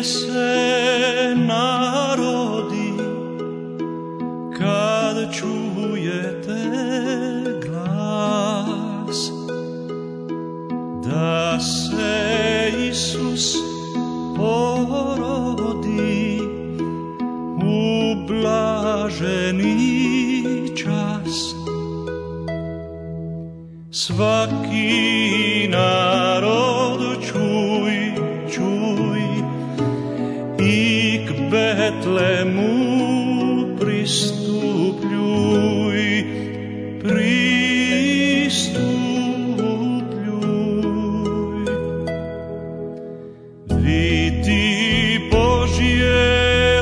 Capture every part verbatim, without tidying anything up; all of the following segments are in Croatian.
se narodi kad čujete glas da se Isus porodi u blaženi čas. Svaki narod čuj, čuj i k Betlemu pristupljuj, pristupljuj. Vidi Božje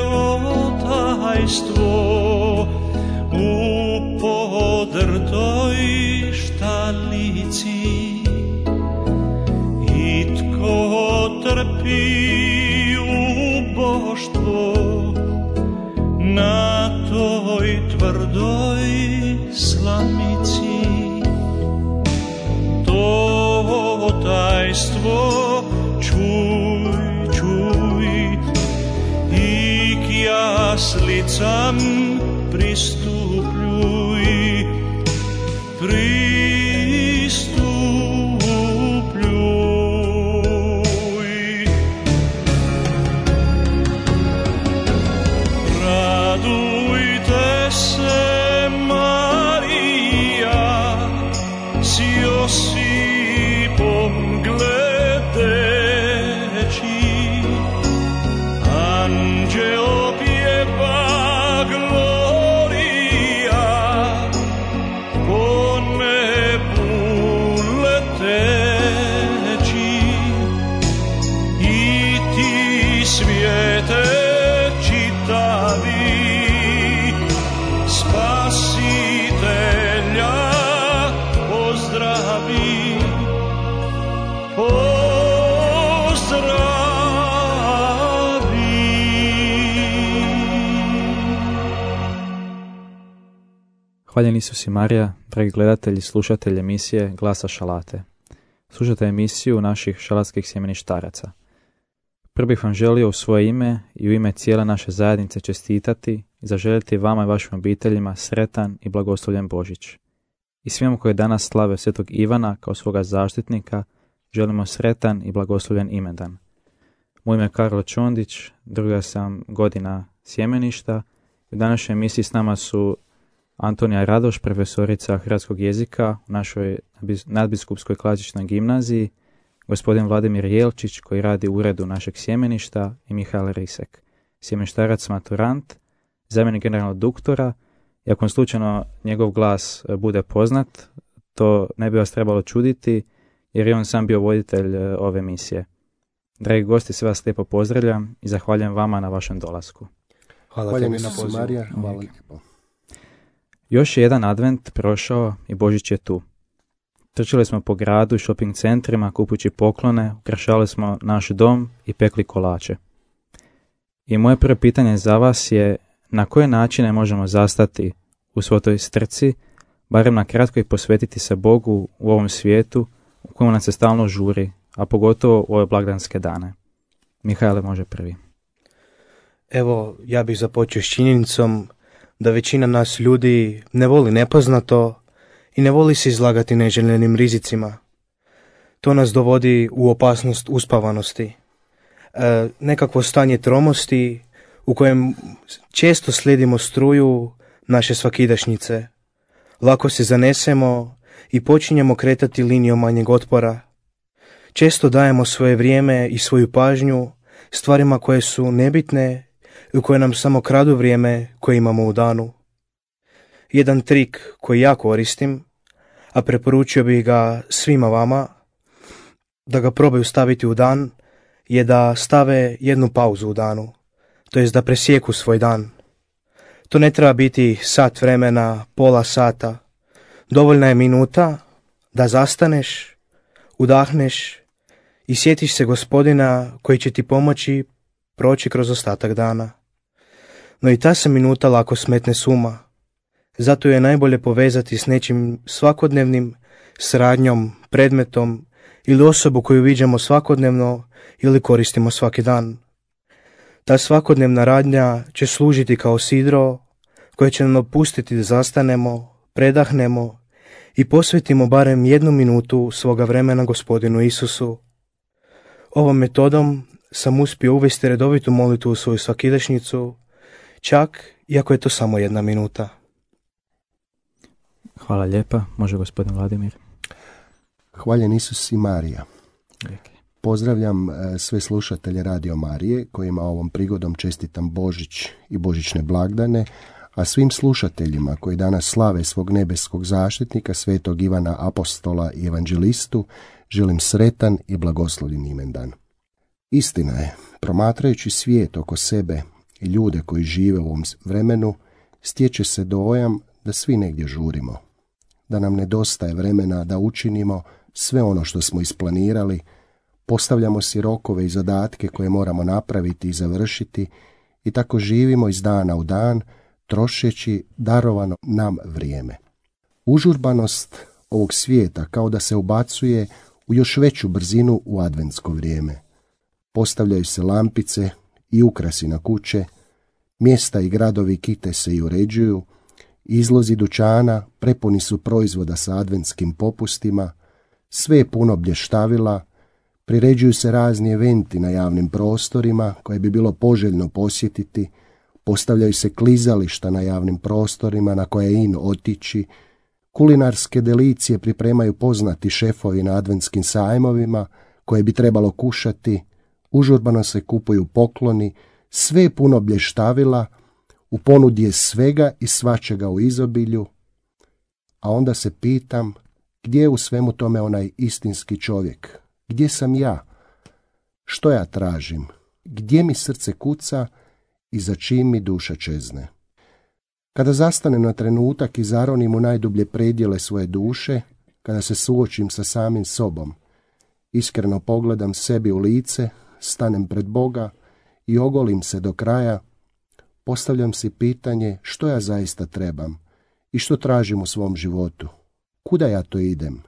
otajstvo u podrtoj štalici i tko trpi uboštvo na toj tvrdoj slamici. To tajstvo čuj, čuj i k jaslicam pristupljuj, pristupljuj. Radujte se, Marija, s Josipom gledeći, anđeo pjeva Gloria, po nebu leteći. I ti svijete čitavi, Spasitelja pozdravi, pozdravi. Hvaljen Isus i Marija, dragi gledatelji i slušatelji emisije Glasa Šalate. Slušate emisiju naših šalatskih sjemeništaraca. Prvo bih vam želio u svoje ime i u ime cijele naše zajednice čestitati i zaželjeti vama i vašim obiteljima sretan i blagoslovljen Božić. I svima koji danas slave Svetog Ivana kao svoga zaštitnika, želimo sretan i blagoslovljen imendan. Moje ime je Karlo Čondić, druga sam godina sjemeništa. U današnjoj emisiji s nama su Antonija Radoš, profesorica hrvatskog jezika u našoj nadbiskupskoj klasičnoj gimnaziji, gospodin Vladimir Jelčić koji radi u uredu našeg sjemeništa i Mihael Risek, sjemeništarac maturant, zamjenik generalnog doktora. I ako slučajno njegov glas bude poznat, to ne bi vas trebalo čuditi jer je on sam bio voditelj ove emisije. Dragi gosti, sve vas lijepo pozdravljam i zahvaljujem vama na vašem dolasku. Hvala, Hvala tebi na pozivu. Marija, hvala lijepo. Još je jedan advent prošao i Božić je tu. Trčali smo po gradu i shopping centrima kupujući poklone, ukrašali smo naš dom i pekli kolače. I moje prvo pitanje za vas je na koje načine možemo zastati u svoj toj strci, barem na kratko i posvetiti se Bogu u ovom svijetu u kojem nas se stalno žuri, a pogotovo u ove blagdanske dane. Mihaele može prvi. Evo, ja bih započeo s činjenicom da većina nas ljudi ne voli nepoznato i ne voli se izlagati neželjenim rizicima. To nas dovodi u opasnost uspavanosti. E, nekakvo stanje tromosti u kojem često slijedimo struju naše svakidašnjice. Lako se zanesemo i počinjemo kretati linijom manjeg otpora. Često dajemo svoje vrijeme i svoju pažnju stvarima koje su nebitne i koje nam samo kradu vrijeme koje imamo u danu. Jedan trik koji ja koristim, a preporučio bih ga svima vama, da ga probaju staviti u dan, je da stave jednu pauzu u danu, to jest da presjeku svoj dan. To ne treba biti sat vremena, pola sata. Dovoljna je minuta da zastaneš, udahneš i sjetiš se Gospodina koji će ti pomoći proći kroz ostatak dana. No i ta se minuta lako smetne s uma. Zato je najbolje povezati s nečim svakodnevnim, s radnjom, predmetom ili osobu koju viđamo svakodnevno ili koristimo svaki dan. Ta svakodnevna radnja će služiti kao sidro koje će nam dopustiti da zastanemo, predahnemo i posvetimo barem jednu minutu svoga vremena Gospodinu Isusu. Ovom metodom sam uspio uvesti redovitu molitvu u svoju svakidašnjicu, čak iako je to samo jedna minuta. Hvala lijepa. Može gospodin Vladimir. Hvaljen Isus i Marija. Pozdravljam sve slušatelje Radio Marije kojima ovom prigodom čestitam Božić i božićne blagdane, a svim slušateljima koji danas slave svog nebeskog zaštitnika, svetog Ivana Apostola i evanđelistu, želim sretan i blagoslovljen imendan. Istina je, promatrajući svijet oko sebe i ljude koji žive u ovom vremenu, stječe se dojam da svi negdje žurimo, da nam nedostaje vremena da učinimo sve ono što smo isplanirali, postavljamo si rokove i zadatke koje moramo napraviti i završiti i tako živimo iz dana u dan, trošeći darovano nam vrijeme. Užurbanost ovog svijeta kao da se ubacuje u još veću brzinu u adventsko vrijeme. Postavljaju se lampice i ukrasi na kuće, mjesta i gradovi kite se i uređuju, izlozi dućana prepuni su proizvoda sa adventskim popustima, sve je puno blještavila, priređuju se razni eventi na javnim prostorima koje bi bilo poželjno posjetiti, postavljaju se klizališta na javnim prostorima na koje je in otići, kulinarske delicije pripremaju poznati šefovi na adventskim sajmovima koje bi trebalo kušati, užurbano se kupuju pokloni, sve je puno blještavila, u ponudi je svega i svačega u izobilju, a onda se pitam gdje je u svemu tome onaj istinski čovjek, gdje sam ja, što ja tražim, gdje mi srce kuca i za čim mi duša čezne. Kada zastanem na trenutak i zaronim u najdublje predjele svoje duše, kada se suočim sa samim sobom, iskreno pogledam sebi u lice, stanem pred Boga i ogolim se do kraja, postavljam si pitanje što ja zaista trebam i što tražim u svom životu. Kuda ja to idem?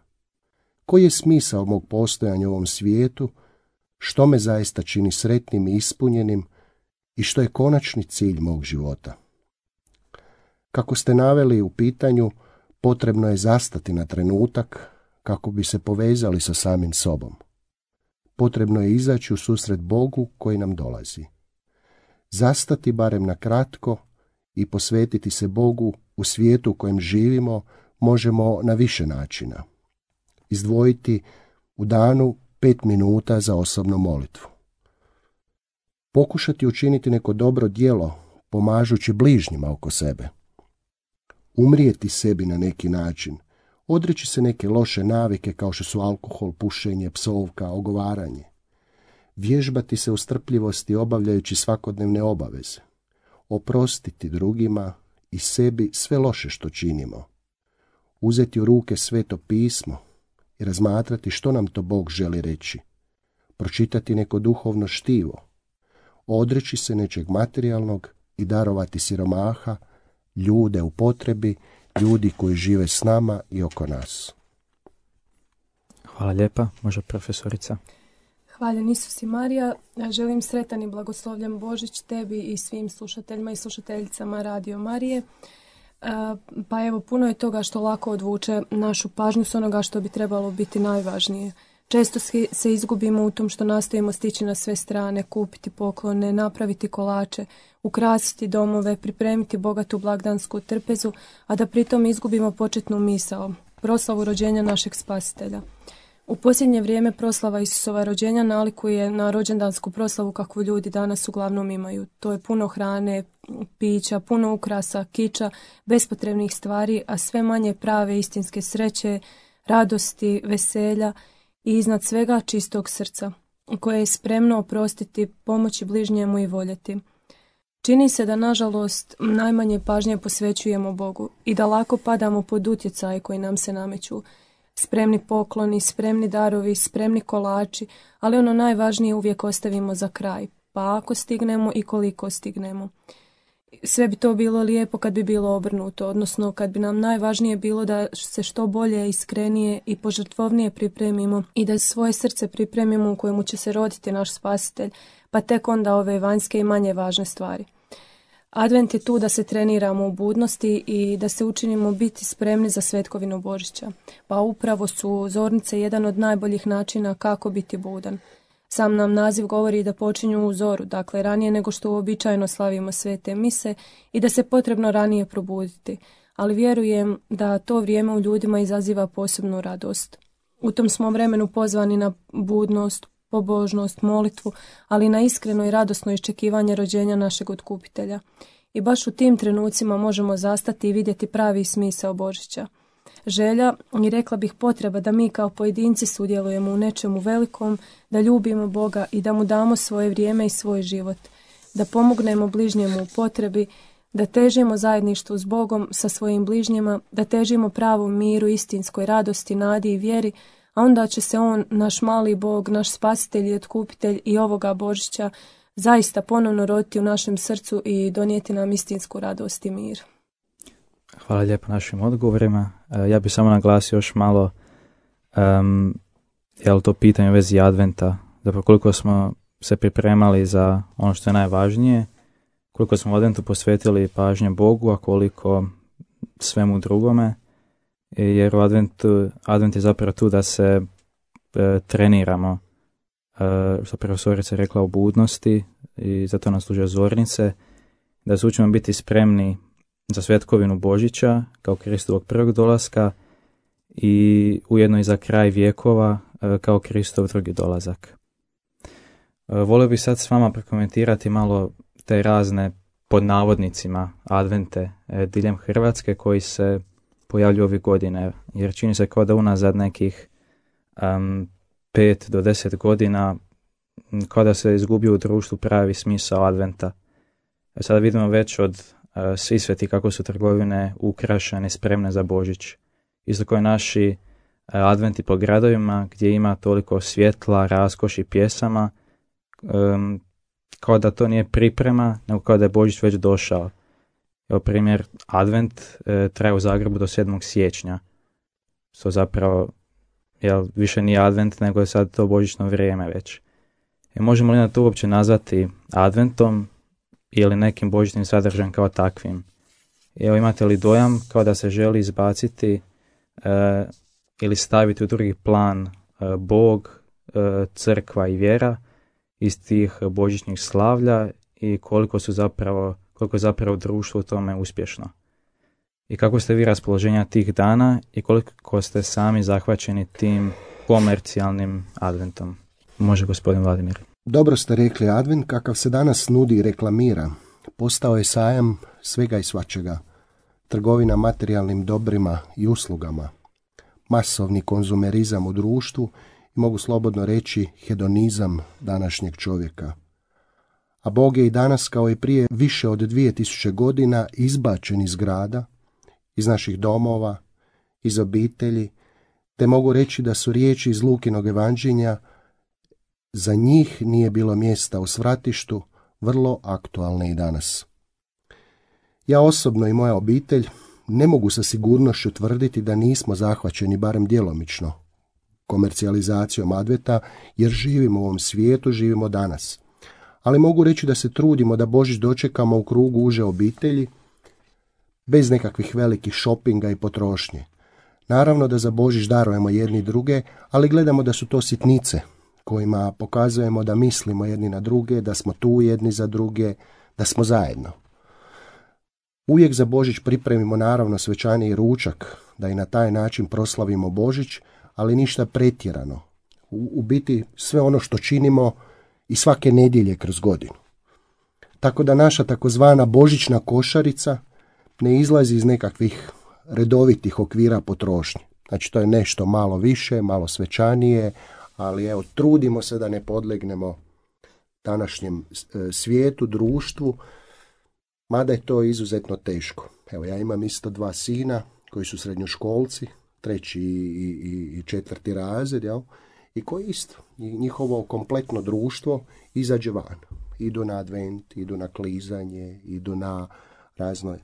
Koji je smisao mog postojanja u ovom svijetu? Što me zaista čini sretnim i ispunjenim? I što je konačni cilj mog života? Kako ste naveli u pitanju, potrebno je zastati na trenutak kako bi se povezali sa samim sobom. Potrebno je izaći u susret Bogu koji nam dolazi. Zastati barem na kratko i posvetiti se Bogu u svijetu u kojem živimo možemo na više načina. Izdvojiti u danu pet minuta za osobnu molitvu. Pokušati učiniti neko dobro djelo pomažući bližnjima oko sebe. Umrijeti sebi na neki način, odreći se neke loše navike kao što su alkohol, pušenje, psovka, ogovaranje. Vježbati se u strpljivosti obavljajući svakodnevne obaveze. Oprostiti drugima i sebi sve loše što činimo. Uzeti u ruke Sveto pismo i razmatrati što nam to Bog želi reći. Pročitati neko duhovno štivo. Odreći se nečeg materijalnog i darovati siromaha, ljude u potrebi, ljudi koji žive s nama i oko nas. Hvala lijepa. Može profesorica. Hvaljen Isus i Marija. Želim sretan i blagoslovljen Božić tebi i svim slušateljima i slušateljicama Radio Marije. Pa evo, puno je toga što lako odvuče našu pažnju s onoga što bi trebalo biti najvažnije. Često se izgubimo u tom što nastojimo stići na sve strane, kupiti poklone, napraviti kolače, ukrasiti domove, pripremiti bogatu blagdansku trpezu, a da pritom izgubimo početnu misao, proslavu rođenja našeg Spasitelja. U posljednje vrijeme proslava Isusova rođenja nalikuje na rođendansku proslavu kakvu ljudi danas uglavnom imaju. To je puno hrane, pića, puno ukrasa, kiča, bespotrebnih stvari, a sve manje prave istinske sreće, radosti, veselja i iznad svega čistog srca, koje je spremno oprostiti, pomoći bližnjemu i voljeti. Čini se da, nažalost, najmanje pažnje posvećujemo Bogu i da lako padamo pod utjecaj koji nam se nameću. Spremni pokloni, spremni darovi, spremni kolači, ali ono najvažnije uvijek ostavimo za kraj, pa ako stignemo i koliko stignemo. sve bi to bilo lijepo kad bi bilo obrnuto, odnosno kad bi nam najvažnije bilo da se što bolje, iskrenije i požrtvovnije pripremimo i da svoje srce pripremimo u kojemu će se roditi naš spasitelj, pa tek onda ove vanjske i manje važne stvari. Advent je tu da se treniramo u budnosti i da se učinimo biti spremni za svetkovinu Božića, pa upravo su zornice jedan od najboljih načina kako biti budan. Sam nam naziv govori da počinju u zoru, dakle ranije nego što uobičajeno slavimo svete mise i da se potrebno ranije probuditi, ali vjerujem da to vrijeme u ljudima izaziva posebnu radost. U tom smo vremenu pozvani na budnost, pobožnost, molitvu, ali na iskreno i radosno iščekivanje rođenja našeg otkupitelja. I baš u tim trenucima možemo zastati i vidjeti pravi smisao Božića. Želja i rekla bih potreba da mi kao pojedinci sudjelujemo u nečemu velikom, da ljubimo Boga i da mu damo svoje vrijeme i svoj život, da pomognemo bližnjemu u potrebi, da težimo zajedništvu s Bogom sa svojim bližnjima, da težimo pravom miru, istinskoj radosti, nadi i vjeri, a onda će se on, naš mali Bog, naš spasitelj i otkupitelj i ovoga Božića, zaista ponovno roditi u našem srcu i donijeti nam istinsku radost i mir. Hvala lijepo našim odgovorima. Ja bih samo naglasio još malo um, je li to pitanje u vezi adventa, zapravo koliko smo se pripremali za ono što je najvažnije, koliko smo u adventu posvetili pažnje Bogu, a koliko svemu drugome, jer u adventu, advent je zapravo tu da se e, treniramo, e, što profesorica rekla, u budnosti, i zato nam služe zornice, da se učimo biti spremni za svetkovinu Božića kao Kristovog prvog dolaska i ujedno i za kraj vjekova kao Kristov drugi dolazak. Volio bih sad s vama prokomentirati malo te razne pod navodnicima advente diljem Hrvatske koji se pojavljuju ovih godine, jer čini se kao da unazad nekih um, pet do deset godina kao da se izgubio u društvu pravi smisao adventa. Sada vidimo već od uh, svi sveti kako su trgovine ukrašene, spremne za Božić. Isto kao i naši uh, adventi po gradovima gdje ima toliko svjetla, raskoši, pjesama, um, kao da to nije priprema, nego kao da je Božić već došao. Evo primjer, advent uh, traje u Zagrebu do sedmog siječnja. Što zapravo jel, više nije advent, nego je sad to božićno vrijeme već. I možemo li na to uopće nazvati adventom ili nekim božićnim sadržajem kao takvim? Evo, imate li dojam kao da se želi izbaciti e, ili staviti u drugi plan e, Bog, e, crkva i vjera iz tih božićnih slavlja i koliko su zapravo, koliko je zapravo društvo u tome uspješno? I kako ste vi raspoloženja tih dana i koliko ste sami zahvaćeni tim komercijalnim adventom? Može gospodin Vladimir. Dobro ste rekli, advent kakav se danas nudi i reklamira postao je sajam svega i svačega, trgovina materijalnim dobrima i uslugama, masovni konzumerizam u društvu i mogu slobodno reći hedonizam današnjeg čovjeka. A Bog je i danas kao i prije više od dvije tisuće godina izbačen iz grada, iz naših domova, iz obitelji, te mogu reći da su riječi iz Lukinog evanđelja za njih nije bilo mjesta u svratištu, vrlo aktualne i danas. Ja osobno i moja obitelj ne mogu sa sigurnošću tvrditi da nismo zahvaćeni barem djelomično komercijalizacijom adventa, jer živimo u ovom svijetu, živimo danas. Ali mogu reći da se trudimo da Božić dočekamo u krugu uže obitelji, bez nekakvih velikih šopinga i potrošnje. Naravno da za Božić darujemo jedni druge, ali gledamo da su to sitnice, kojima pokazujemo da mislimo jedni na druge, da smo tu jedni za druge, da smo zajedno. Uvijek za Božić pripremimo naravno svečani ručak, da i na taj način proslavimo Božić, ali ništa pretjerano. U, u biti sve ono što činimo i svake nedjelje kroz godinu. Tako da naša takozvana božićna košarica ne izlazi iz nekakvih redovitih okvira potrošnje. Znači to je nešto malo više, malo svečanije, ali evo, trudimo se da ne podlegnemo današnjem svijetu, društvu, mada je to izuzetno teško. Evo, ja imam isto dva sina koji su srednjoškolci, treći i, i, i četvrti razred, jel? I koji isto, njihovo kompletno društvo izađe van. idu na advent, idu na klizanje, idu na razno.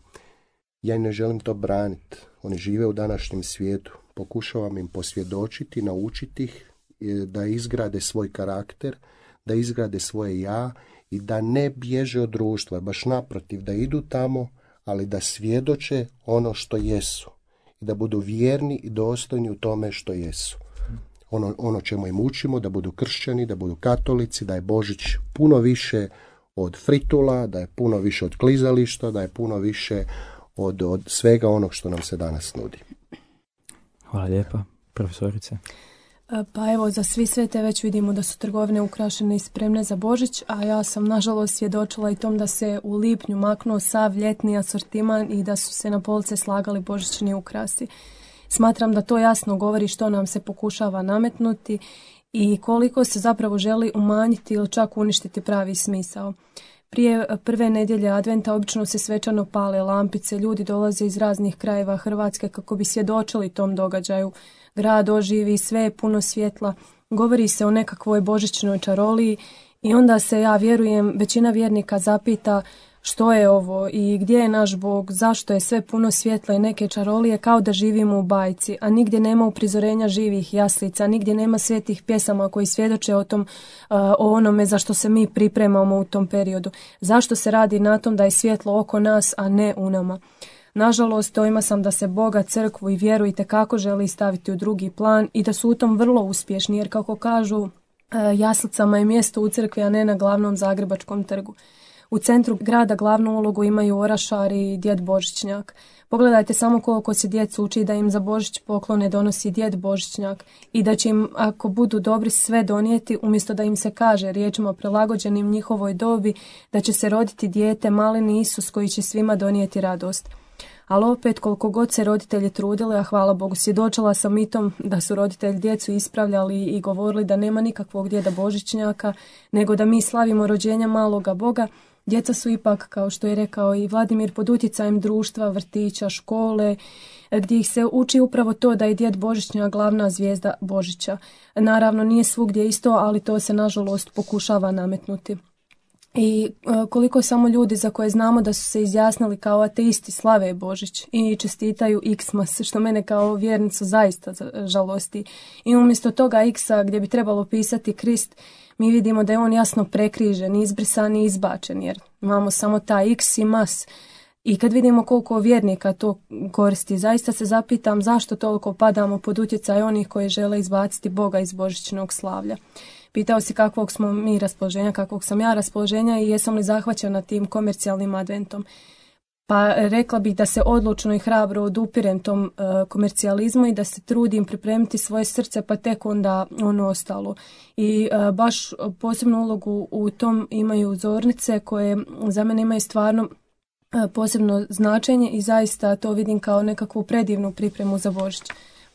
Ja ne želim to braniti. Oni žive u današnjem svijetu. Pokušavam im posvjedočiti, naučiti ih da izgrade svoj karakter, da izgrade svoje ja i da ne bježe od društva, baš naprotiv, da idu tamo, ali da svjedoče ono što jesu i da budu vjerni i dostojni u tome što jesu. Ono, ono čemu im učimo, da budu kršćani, da budu katolici, da je Božić puno više od fritula, da je puno više od klizališta, da je puno više od, od svega onog što nam se danas nudi. Hvala lijepa, profesorice. Pa evo, za svi svete već vidimo da su trgovine ukrašene i spremne za Božić, a ja sam nažalost svjedočila i tom da se u lipnju maknuo sav ljetni asortiman i da su se na police slagali božićni ukrasi. Smatram da to jasno govori što nam se pokušava nametnuti i koliko se zapravo želi umanjiti ili čak uništiti pravi smisao. Prije prve nedjelje adventa obično se svečano pale lampice, ljudi dolaze iz raznih krajeva Hrvatske kako bi svjedočili tom događaju. Grad oživi, sve je puno svjetla, govori se o nekakvoj božićnoj čaroliji i onda se, ja vjerujem, većina vjernika zapita što je ovo i gdje je naš Bog, zašto je sve puno svjetla i neke čarolije, kao da živimo u bajci, a nigdje nema uprizorenja živih jaslica, nigdje nema svetih pjesama koji svjedoče o tom, o onome za što se mi pripremamo u tom periodu. Zašto se radi na tom da je svjetlo oko nas, a ne u nama? Nažalost, dojma sam da se Boga, crkvu i vjeru itekako želi staviti u drugi plan i da su u tom vrlo uspješni, jer kako kažu, jaslicama je mjesto u crkvi, a ne na glavnom Zagrebačkom trgu. U centru grada glavnu ulogu imaju orašar i djed Božićnjak. Pogledajte samo koliko se djecu uči da im za Božić poklone donosi djed Božićnjak i da će im, ako budu dobri, sve donijeti, umjesto da im se kaže riječima prilagođenim njihovoj dobi da će se roditi dijete, maleni Isus koji će svima donijeti radost. Ali opet, koliko god se roditelji trudili, a hvala Bogu, svjedočila sam i tom da su roditelji djecu ispravljali i govorili da nema nikakvog djeda Božićnjaka, nego da mi slavimo rođenja maloga Boga, djeca su ipak, kao što je rekao i Vladimir, pod utjecajem društva, vrtića, škole, gdje ih se uči upravo to da je djed Božićnjak glavna zvijezda Božića. Naravno, nije svugdje isto, ali to se nažalost pokušava nametnuti. I koliko samo ljudi za koje znamo da su se izjasnili kao ateisti slave Božić i čestitaju Xmas, što mene kao vjernicu zaista žalosti. I umjesto toga X-a gdje bi trebalo pisati Krist, mi vidimo da je on jasno prekrižen, izbrisan i izbačen, jer imamo samo taj X i mas. I kad vidimo koliko vjernika to koristi, zaista se zapitam zašto toliko padamo pod utjecaj onih koji žele izbaciti Boga iz božićnog slavlja. Pitao si kakvog smo mi raspoloženja, kakvog sam ja raspoloženja i jesam li zahvaćena tim komercijalnim adventom. Pa rekla bih da se odlučno i hrabro odupirem tom uh, komercijalizmu i da se trudim pripremiti svoje srce, pa tek onda ono ostalo. I uh, baš posebnu ulogu u tom imaju zornice koje za mene imaju stvarno uh, posebno značenje i zaista to vidim kao nekakvu predivnu pripremu za Božić.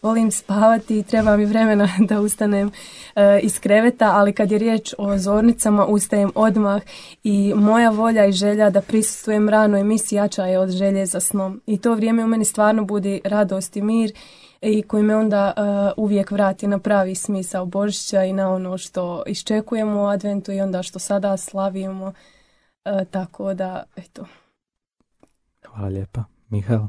Volim spavati i treba mi vremena da ustanem e, iz kreveta, ali kad je riječ o zornicama ustajem odmah i moja volja i želja da prisustvujem rano emisiji jača je od želje za snom. I to vrijeme u meni stvarno budi radost i mir i koji me onda e, uvijek vrati na pravi smisao Božića i na ono što iščekujemo u adventu i onda što sada slavimo. E, tako da, eto. Hvala lijepa. Mihael?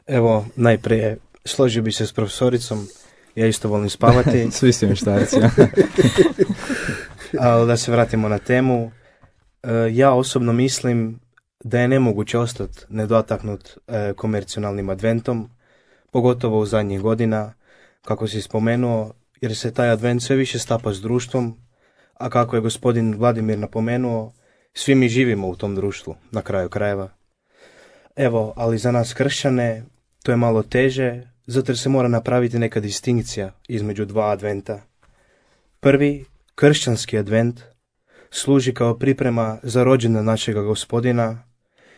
Evo, najprije složio bi se s profesoricom, ja isto volim spavati. Svi su mještarci. Ali da se vratimo na temu, ja osobno mislim da je nemoguće ostati nedotaknut komercionalnim adventom, pogotovo u zadnjih godina, kako si spomenuo, jer se taj advent sve više stapa s društvom, a kako je gospodin Vladimir napomenuo, svi mi živimo u tom društvu, na kraju krajeva. Evo, ali za nas kršćane to je malo teže, zato jer se mora napraviti neka distinkcija između dva adventa. Prvi, kršćanski advent, služi kao priprema za rođendan našega gospodina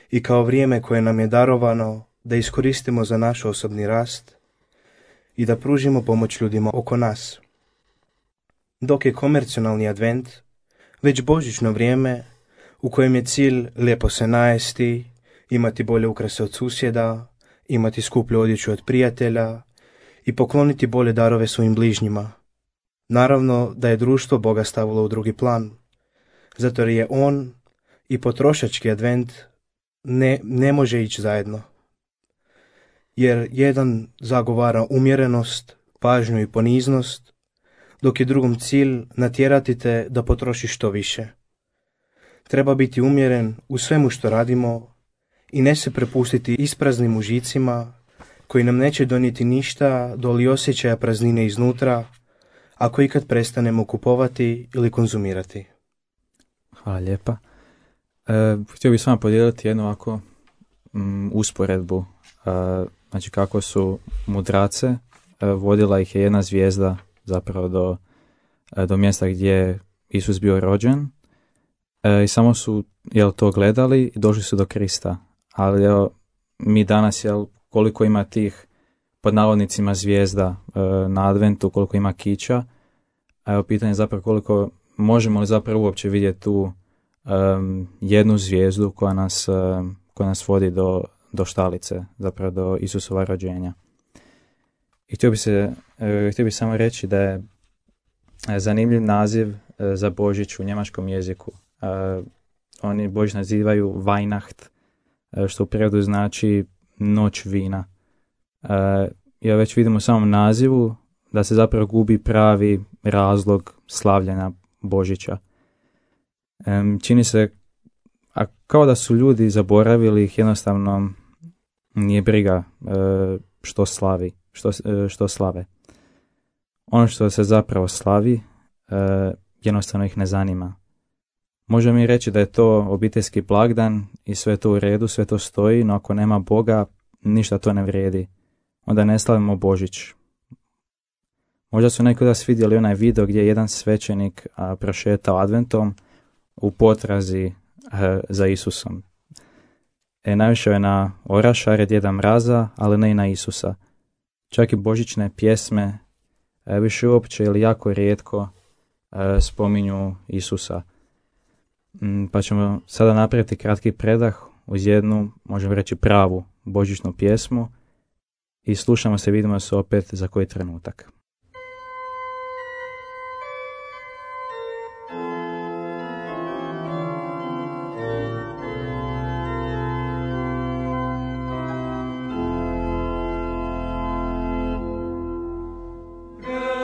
i kao vrijeme koje nam je darovano da iskoristimo za naš osobni rast i da pružimo pomoć ljudima oko nas. Dok je komercionalni advent već božićno vrijeme u kojem je cilj lijepo se najesti, imati bolje ukrase od susjeda, imati skuplju odjeću od prijatelja i pokloniti bolje darove svojim bližnjima. Naravno da je društvo Boga stavilo u drugi plan. zato je on i potrošački advent ne, ne može ići zajedno. Jer jedan zagovara umjerenost, pažnju i poniznost, dok je drugom cilj natjerati te da potrošiš što više. Treba biti umjeren u svemu što radimo i ne se prepustiti ispraznim užicima koji nam neće donijeti ništa doli osjećaja praznine iznutra, ako ikad prestanemo kupovati ili konzumirati. Hvala lijepa. E, htio bih s vama podijeliti jednu ovako m, usporedbu. E, znači kako su mudrace, e, vodila ih je jedna zvijezda zapravo do, e, do mjesta gdje je Isus bio rođen. E, I samo su jel, to gledali i došli su do Krista. Ali jel, mi danas, jel, koliko ima tih pod navodnicima zvijezda e, na adventu, koliko ima kića, a evo pitanje je zapravo koliko možemo li zapravo uopće vidjeti tu um, jednu zvijezdu koja nas, um, koja nas vodi do, do štalice, zapravo do Isusova rođenja. I htio bi se, uh, htio bi samo reći da je zanimljiv naziv uh, za Božić u njemačkom jeziku. Uh, oni Božić nazivaju Weihnacht, uh, što u prijevodu znači noć vina. Uh, ja već vidimo u samom nazivu da se zapravo gubi pravi razlog slavljenja Božića. Um, čini se a kao da su ljudi zaboravili, ih jednostavno nije briga uh, što slavi, što, uh, što slave. Ono što se zapravo slavi uh, jednostavno ih ne zanima. Možemo mi reći da je to obiteljski blagdan i sve to u redu, sve to stoji, no ako nema Boga, ništa to ne vrijedi. Onda ne slavimo Božić. Možda su neki od vas vidjeli onaj video gdje je jedan svećenik a, prošetao adventom u potrazi a, za Isusom. E, naišao je na orašare Djeda Mraza, ali ne i na Isusa. Čak i božićne pjesme a, više uopće ili jako rijetko a, spominju Isusa. M, pa ćemo sada napraviti kratki predah uz jednu, možemo reći pravu božićnu pjesmu i slušamo se, vidimo se opet za koji trenutak. Yeah.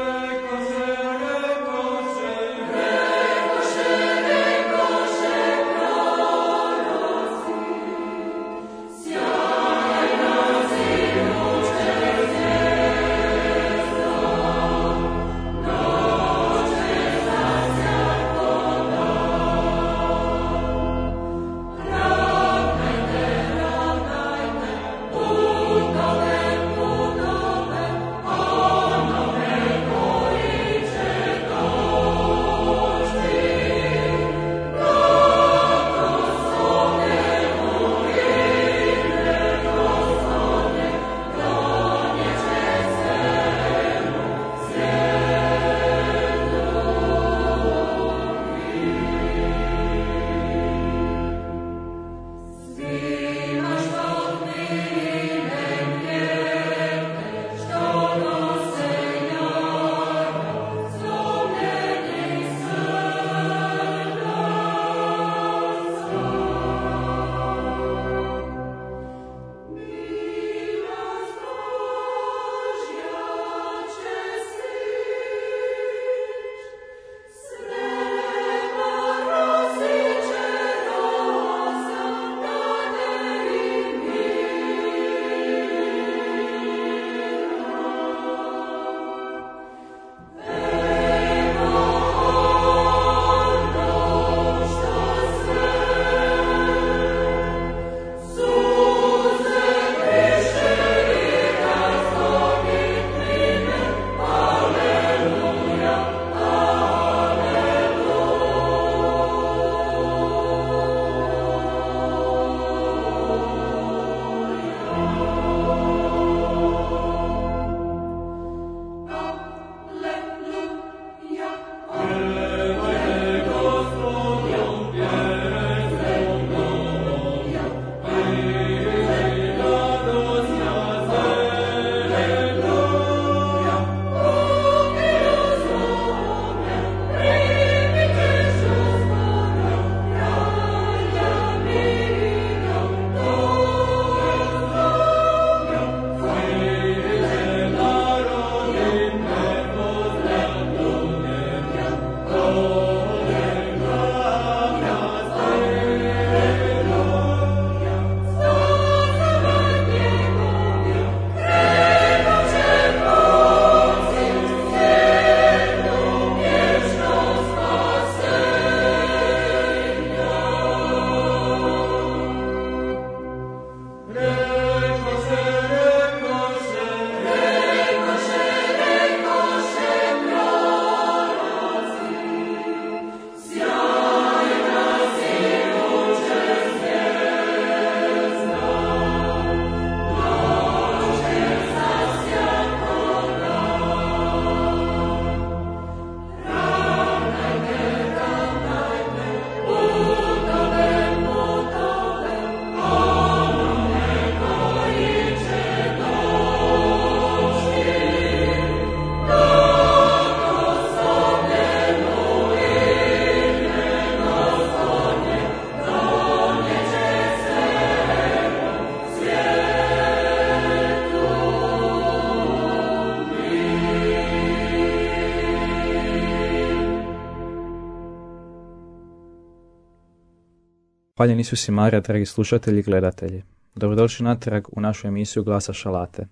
Hvaljen Isus i Marija, dragi slušatelji i gledatelji. Dobrodošli natrag u našu emisiju Glasa šalate.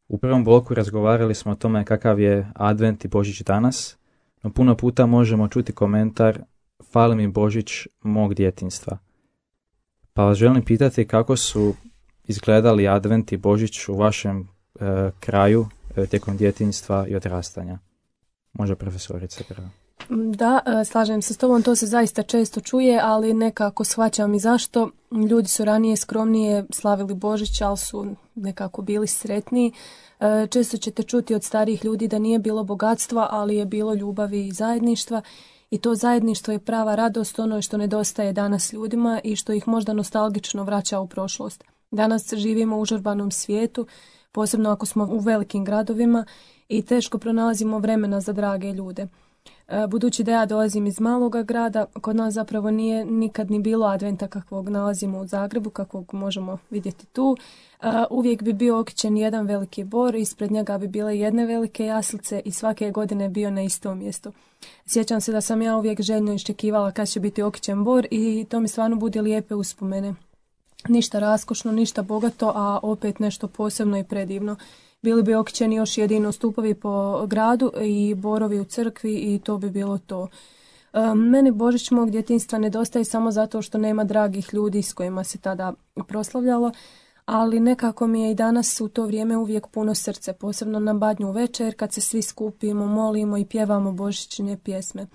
U prvom bloku razgovarali smo o tome kakav je Advent i Božić danas, no puno puta možemo čuti komentar fali mi Božić mog djetinjstva. Pa vas želim pitati kako su izgledali Advent i Božić u vašem e, kraju e, tijekom djetinjstva i odrastanja. Može profesorica prvo. Da, slažem se s tobom, to se zaista često čuje, ali nekako shvaćam i zašto. Ljudi su ranije skromnije slavili Božić, ali su nekako bili sretniji. Često ćete čuti od starijih ljudi da nije bilo bogatstva, ali je bilo ljubavi i zajedništva. I to zajedništvo je prava radost, ono što nedostaje danas ljudima i što ih možda nostalgično vraća u prošlost. Danas živimo u užurbanom svijetu, posebno ako smo u velikim gradovima i teško pronalazimo vremena za drage ljude. Budući da ja dolazim iz maloga grada, kod nas zapravo nije nikad ni bilo adventa kakvog nalazimo u Zagrebu, kakvog možemo vidjeti tu. Uvijek bi bio okićen jedan veliki bor, ispred njega bi bile jedne velike jaslice i svake godine bio na istom mjestu. Sjećam se da sam ja uvijek željno iščekivala kad će biti okićen bor i to mi stvarno budi lijepe uspomene. Ništa raskošno, ništa bogato, a opet nešto posebno i predivno. Bili bi okićeni još jedino stupovi po gradu i borovi u crkvi i to bi bilo to. Meni Božić mog djetinjstva nedostaje samo zato što nema dragih ljudi s kojima se tada proslavljalo, ali nekako mi je i danas u to vrijeme uvijek puno srce, posebno na Badnju večer kad se svi skupimo, molimo i pjevamo božićne pjesme.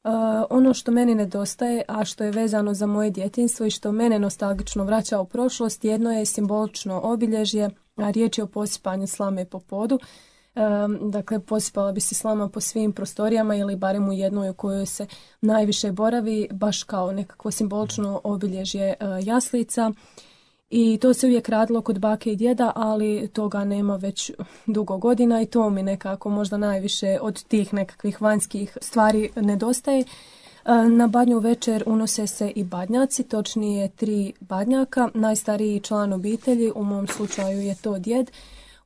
Uh, ono što meni nedostaje, a što je vezano za moje djetinjstvo i što mene nostalgično vraća u prošlost, jedno je simbolično obilježje, a riječ je o posipanju slame po podu. Um, dakle, posipala bi se slama po svim prostorijama ili barem u jednoj u kojoj se najviše boravi, baš kao nekakvo simbolično obilježje uh, jaslica. I to se uvijek radilo kod bake i djeda, ali toga nema već dugo godina i to mi nekako možda najviše od tih nekakvih vanjskih stvari nedostaje. Na Badnju večer unose se i badnjaci, točnije tri badnjaka. Najstariji član obitelji, u mom slučaju je to djed,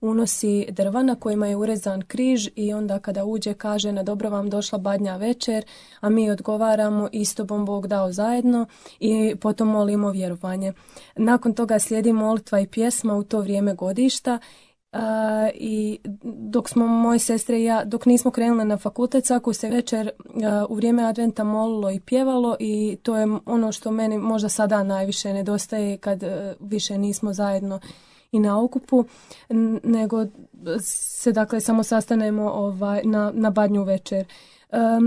unosi drva na kojima je urezan križ i onda kada uđe kaže na dobro vam došla Badnja večer, a mi odgovaramo isto bom Bog dao zajedno i potom molimo vjerovanje. Nakon toga slijedi molitva i pjesma u to vrijeme godišta. Uh, i dok smo moje sestre i ja, dok nismo krenule na fakultet, svaku se večer uh, u vrijeme adventa molilo i pjevalo i to je ono što meni možda sada najviše nedostaje kad uh, više nismo zajedno i na okupu, nego se dakle samo sastanemo ovaj, na, na Badnju večer. E,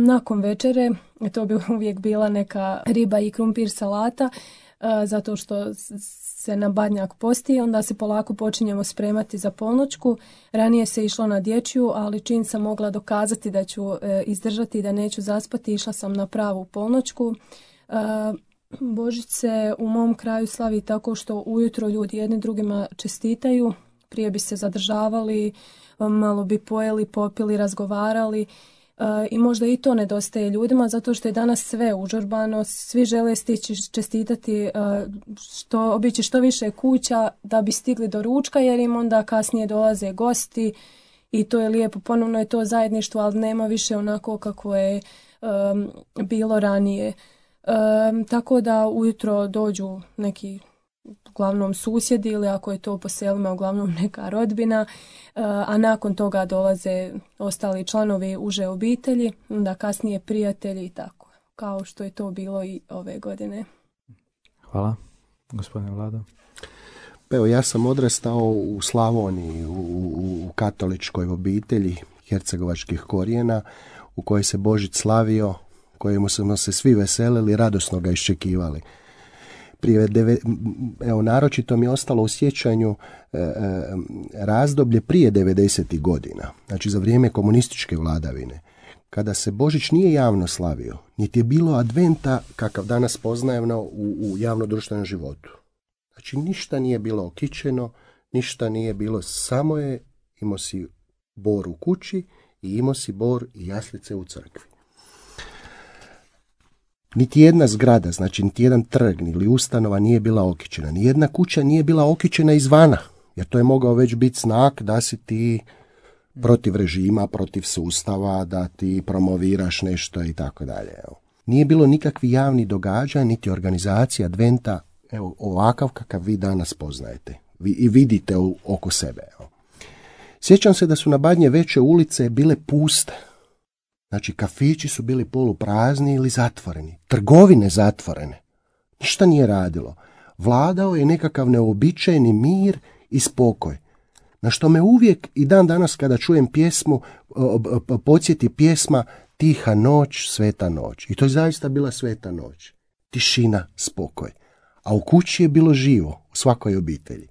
nakon večere, to bi uvijek bila neka riba i krumpir salata, e, zato što se na badnjak posti, onda se polako počinjemo spremati za polnoćku. Ranije se išlo na dječju, ali čim sam mogla dokazati da ću e, izdržati i da neću zaspati, išla sam na pravu polnoćku. E, Božić se u mom kraju slavi tako što ujutro ljudi jedni drugima čestitaju, prije bi se zadržavali, malo bi pojeli, popili, razgovarali i možda i to nedostaje ljudima zato što je danas sve užurbano, svi žele stići čestitati, što, obići što više kuća da bi stigli do ručka jer im onda kasnije dolaze gosti i to je lijepo, ponovno je to zajedništvo, ali nema više onako kako je um, bilo ranije. Um, tako da ujutro dođu neki uglavnom susjedi ili ako je to po selima uglavnom neka rodbina, uh, a nakon toga dolaze ostali članovi uže obitelji, onda kasnije prijatelji i tako, kao što je to bilo i ove godine. Hvala. Gospodine Vlado. Pa evo, ja sam odrastao u Slavoniji, u, u, u katoličkoj obitelji hercegovačkih korijena, u kojoj se Božić slavio, kojemu smo se svi veselili, radosno ga iščekivali. Prije deve, evo, naročito mi je ostalo u sjećanju e, e, razdoblje prije devedesetih godina, znači za vrijeme komunističke vladavine, kada se Božić nije javno slavio, niti je bilo adventa kakav danas poznajemo u, u javno-društvenom životu. Znači ništa nije bilo okićeno, ništa nije bilo, samo je imao si bor u kući i imao si bor i jaslice u crkvi. Niti jedna zgrada, znači niti jedan trg ili ustanova nije bila okićena. Nijedna kuća nije bila okićena izvana, jer to je mogao već biti znak da si ti protiv režima, protiv sustava, da ti promoviraš nešto i tako dalje. Nije bilo nikakvih javnih događaja, niti organizacija adventa, evo, ovakav kakav vi danas poznajete vi, i vidite u, oko sebe. Evo. Sjećam se da su na Badnje veće ulice bile puste. Znači, kafići su bili poluprazni ili zatvoreni. Trgovine zatvorene. Ništa nije radilo. Vladao je nekakav neobičajni mir i spokoj. Na što me uvijek i dan danas kada čujem pjesmu, podsjeti pjesma Tiha noć, sveta noć. I to je zaista bila sveta noć. Tišina, spokoj. A u kući je bilo živo, u svakoj obitelji.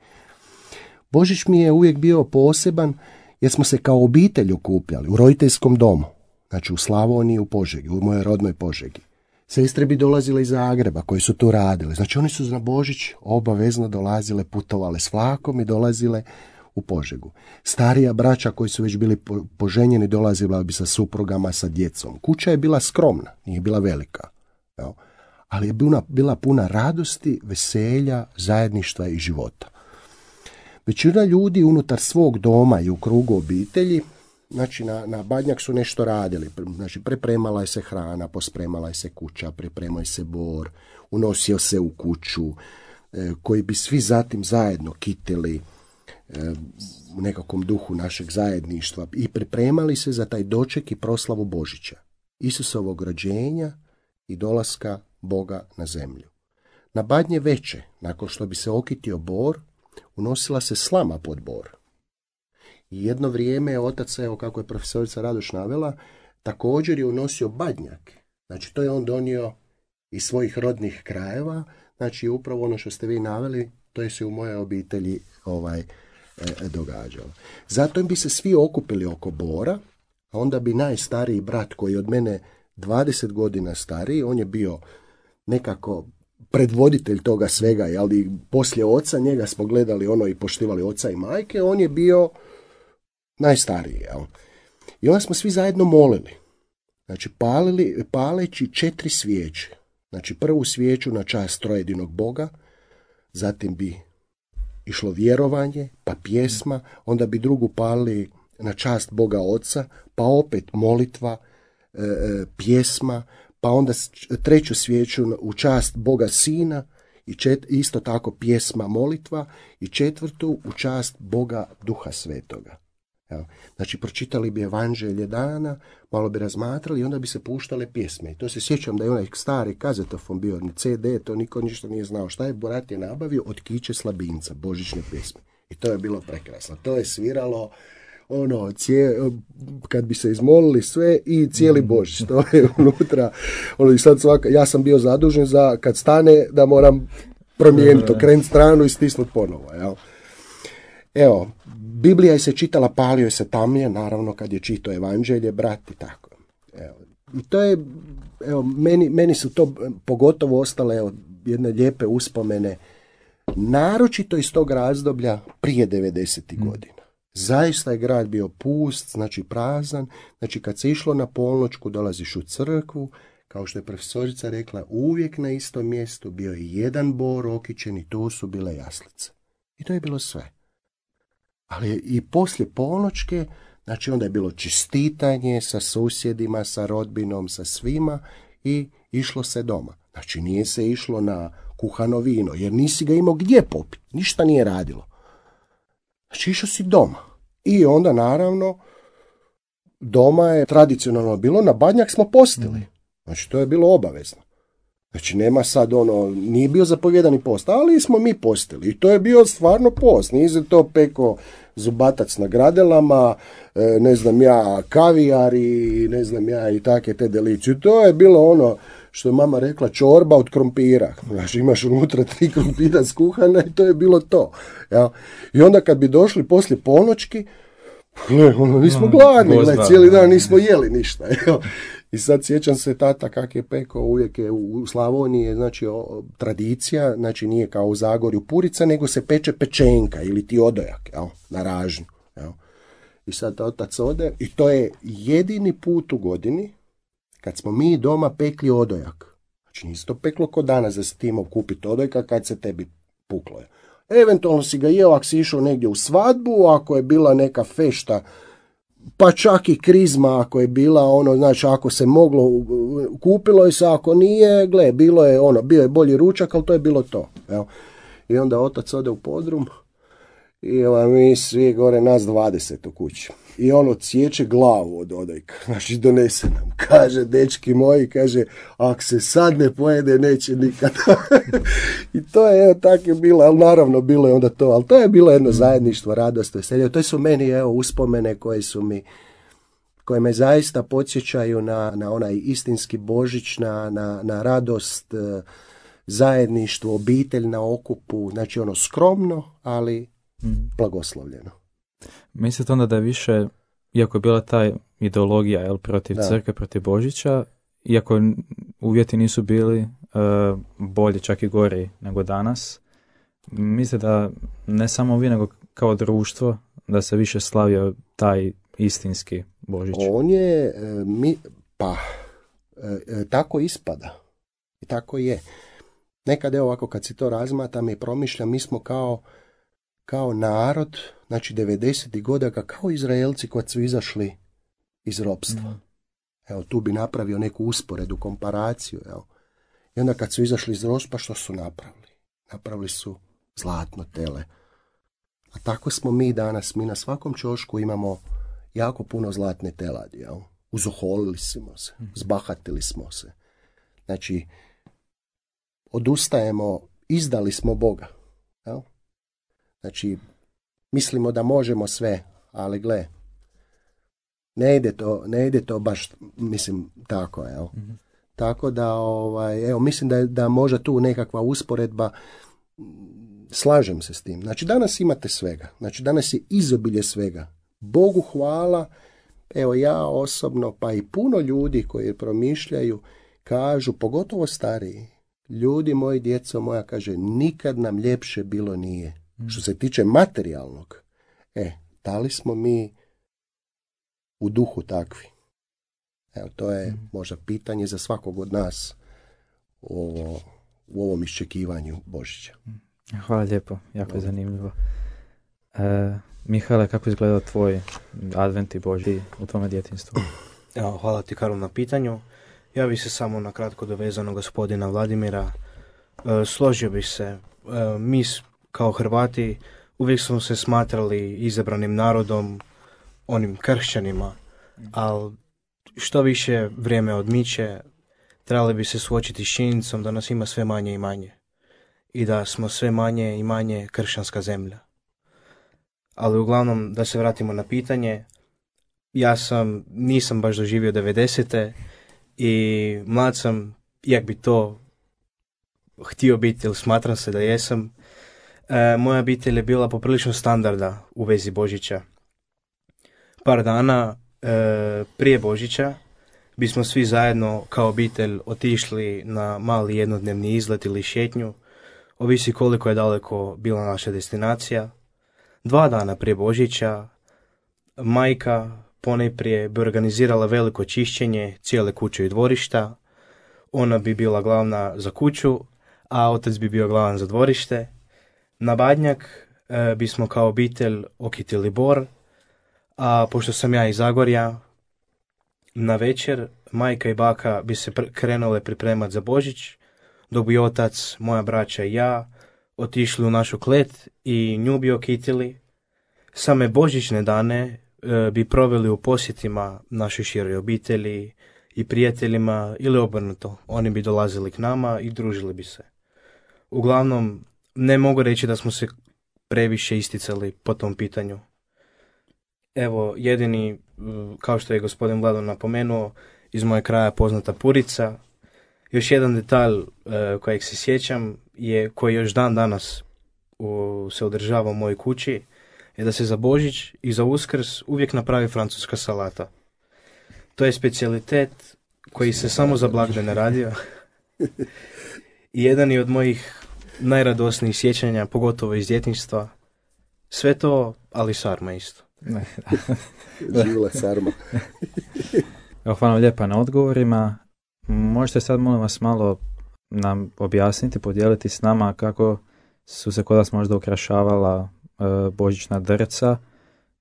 Božić mi je uvijek bio poseban jer smo se kao obitelj okupljali u roditeljskom domu. Znači u Slavoniji, u Požegi, u mojoj rodnoj Požegi. Sestre bi dolazile iz Zagreba koji su tu radile. Znači oni su na Božić obavezno dolazile, putovale s vlakom i dolazile u Požegu. Starija braća koji su već bili poženjeni dolazila bi sa suprugama, sa djecom. Kuća je bila skromna, nije bila velika. Jo? Ali je bila, bila puna radosti, veselja, zajedništva i života. Većina ljudi unutar svog doma i u krugu obitelji, znači na, na Badnjak su nešto radili. Znači pripremala je se hrana, pospremala je se kuća, pripremao je se bor, unosio se u kuću, e, koji bi svi zatim zajedno kitili e, u nekakvom duhu našeg zajedništva i pripremali se za taj doček i proslavu Božića, Isusovog rođenja i dolaska Boga na zemlju. Na Badnje veće, nakon što bi se okitio bor, unosila se slama pod bor. I jedno vrijeme je otac, evo kako je profesorica Radoš navela, također je unosio badnjak. Znači to je on donio iz svojih rodnih krajeva, znači upravo ono što ste vi naveli, to je se u mojoj obitelji ovaj, e, događalo. Zato bi se svi okupili oko bora, a onda bi najstariji brat koji je od mene dvadeset godina stariji, on je bio nekako predvoditelj toga svega, ali poslije oca njega smo gledali ono i poštivali oca i majke, on je bio najstariji. Jel? I onda smo svi zajedno molili. Znači palili, paleći četiri svijeće. Znači prvu svijeću na čast trojedinog Boga, zatim bi išlo vjerovanje, pa pjesma, onda bi drugu palili na čast Boga Oca, pa opet molitva, e, pjesma, pa onda treću svijeću u čast Boga Sina, i čet, isto tako pjesma, molitva, i četvrtu u čast Boga Duha Svetoga. Evo. Znači, pročitali bi evanđelje dana, malo bi razmatrali i onda bi se puštale pjesme. I to se sjećam da je onaj stari kazetofon bio, ni ce de, to niko ništa nije znao. Šta je brat je nabavio? Od Kiće Slabinca, božićne pjesme. I to je bilo prekrasno. To je sviralo ono, cije, kad bi se izmolili sve i cijeli Božić. To je unutra. Ono, i sad svaka, ja sam bio zadužen za kad stane da moram promijeniti, okrenuti stranu i stisnuti ponovo. Jel? Evo, Biblija je se čitala, palio je se tamnije, naravno kad je čitao evanđelje, brat i tako. Evo, i to je, evo, meni, meni su to pogotovo ostale evo, jedne lijepe uspomene, naročito iz tog razdoblja prije devedesetih mm. godina. Zaista je grad bio pust, znači prazan, znači kad se išlo na polnoćku dolaziš u crkvu, kao što je profesorica rekla, uvijek na istom mjestu bio je jedan bor okićen i to su bile jaslice. I to je bilo sve. Ali i poslije polnoćke, znači onda je bilo čestitanje sa susjedima, sa rodbinom, sa svima i išlo se doma. Znači nije se išlo na kuhano vino, jer nisi ga imao gdje popiti, ništa nije radilo. Znači išao si doma. I onda naravno doma je tradicionalno bilo, na Badnjak smo postili. Znači to je bilo obavezno. Znači nema sad ono, nije bio zapovjedani post, ali smo mi postili. I to je bio stvarno post. Nije se to peko zubatac na gradelama, ne znam ja, kavijar i ne znam ja i take te delicije. To je bilo ono što je mama rekla, čorba od krompira. Znači imaš unutra tri krompira skuhana i to je bilo to. Ja. I onda kad bi došli poslije polnoćki, gle, ono, nismo gladni, gle, cijeli dan nismo jeli ništa. Ja. I sad sjećam se tata kak je pekao, uvijek je u Slavoniji, znači o, tradicija, znači nije kao u Zagorju purica, nego se peče pečenka ili ti odojak, jel, na ražnju. Jel. I sad otac ode i to je jedini put u godini kad smo mi doma pekli odojak. Znači nisi to peklo ko danas da se ti imao kupiti odojka kad se tebi puklo je. Eventualno si ga jeo ako si išao negdje u svadbu, ako je bila neka fešta pa čak i krizma ako je bila, ono, znači ako se moglo, kupilo je se, ako nije, gle, bilo je ono, bio je bolji ručak, ali to je bilo to. Evo. I onda otac ode u podrum i evo, mi svi gore, nas dvadeset u kući. I on odsječe glavu od odojka, znači donese nam. Kaže, dečki moji, kaže, ako se sad ne pojede, neće nikad. I to je, evo, tako je bilo, ali naravno bilo je onda to, ali to je bilo jedno zajedništvo, radost, veselje. To su meni, evo, uspomene koje su mi, koje me zaista podsjećaju na, na onaj istinski Božić, na, na, na radost, zajedništvo, obitelj na okupu, znači ono skromno, ali blagoslovljeno. Mislite onda da je više, iako je bila ta ideologija, jel, protiv da. crkve, protiv Božića, iako uvjeti nisu bili uh, bolji, čak i gori nego danas, mislite da ne samo vi, nego kao društvo, da se više slavio taj istinski Božić? On je, e, mi, pa, e, e, tako ispada. I tako je. Nekad, evo ovako, kad si to razmatam i promišljam, mi smo kao, kao narod, znači devedesetih godina, kao Izraelci kad su izašli iz ropstva. Mm. Evo, tu bi napravio neku usporedu, komparaciju. Evo. I onda kad su izašli iz ropstva, što su napravili? Napravili su zlatno tele. A tako smo mi danas. Mi na svakom ćošku imamo jako puno zlatne teladi. Jel? Uzoholili smo se, zbahatili smo se. Znači, odustajemo, izdali smo Boga. Jel? Znači, mislimo da možemo sve, ali gle, ne ide to, ne ide to baš, mislim, tako, evo. Mm-hmm. Tako da, ovaj, evo, mislim da je da možda tu nekakva usporedba, slažem se s tim. Znači, danas imate svega. Znači, danas je izobilje svega. Bogu hvala, evo ja osobno, pa i puno ljudi koji promišljaju, kažu, pogotovo stariji, ljudi moji, djeco moja, kaže, nikad nam ljepše bilo nije. Mm. Što se tiče materijalnog, e, da li smo mi u duhu takvi? Evo, to je mm. možda pitanje za svakog od nas u, u ovom iščekivanju Božića. Hvala lijepo, jako je zanimljivo. E, Mihale, kako izgleda tvoj advent i Božić u tvome djetinjstvu? Evo, hvala ti, Karol, na pitanju. Ja bih se samo na kratko dovezao na gospodina Vladimira. E, složio bih se, e, mi kao Hrvati uvijek smo se smatrali izabranim narodom, onim kršćanima, ali što više vrijeme odmiče, trebali bi se suočiti s činjenicom da nas ima sve manje i manje i da smo sve manje i manje kršćanska zemlja. Ali uglavnom, da se vratimo na pitanje, ja sam, nisam baš doživio devedesete i mlad sam, jak bi to htio biti, ili smatram se da jesam. E, moja obitelj je bila poprilično standarda u vezi Božića. Par dana e, prije Božića bismo svi zajedno kao obitelj otišli na mali jednodnevni izlet ili šetnju, ovisi koliko je daleko bila naša destinacija. Dva dana prije Božića majka ponajprije bi organizirala veliko čišćenje cijele kuće i dvorišta. Ona bi bila glavna za kuću, a otac bi bio glavan za dvorište. Na Badnjak e, bismo kao obitelj okitili bor, a pošto sam ja iz Zagorja, na večer majka i baka bi se pr- krenule pripremati za Božić, dok bi otac, moja braća i ja otišli u našu klet i nju bi okitili. Same božićne dane e, bi proveli u posjetima našoj široj obitelji i prijateljima ili obrnuto. Oni bi dolazili k nama i družili bi se. Uglavnom, ne mogu reći da smo se previše isticali po tom pitanju. Evo, jedini, kao što je gospodin Vlado napomenuo, iz moje kraja poznata purica. Još jedan detalj e, kojeg se sjećam je, koji još dan danas u, se održava u mojoj kući, je da se za Božić i za Uskrs uvijek napravi francuska salata. To je specijalitet koji se samo za blagdane radio. I jedan je od mojih najradosnijih sjećanja, pogotovo iz djetinjstva. Sve to, ali sarma isto. Živjela sarma. Evo, hvala lijepa na odgovorima. Možete sad, molim vas, malo nam objasniti, podijeliti s nama kako su se kod vas možda ukrašavala e, božićna drca,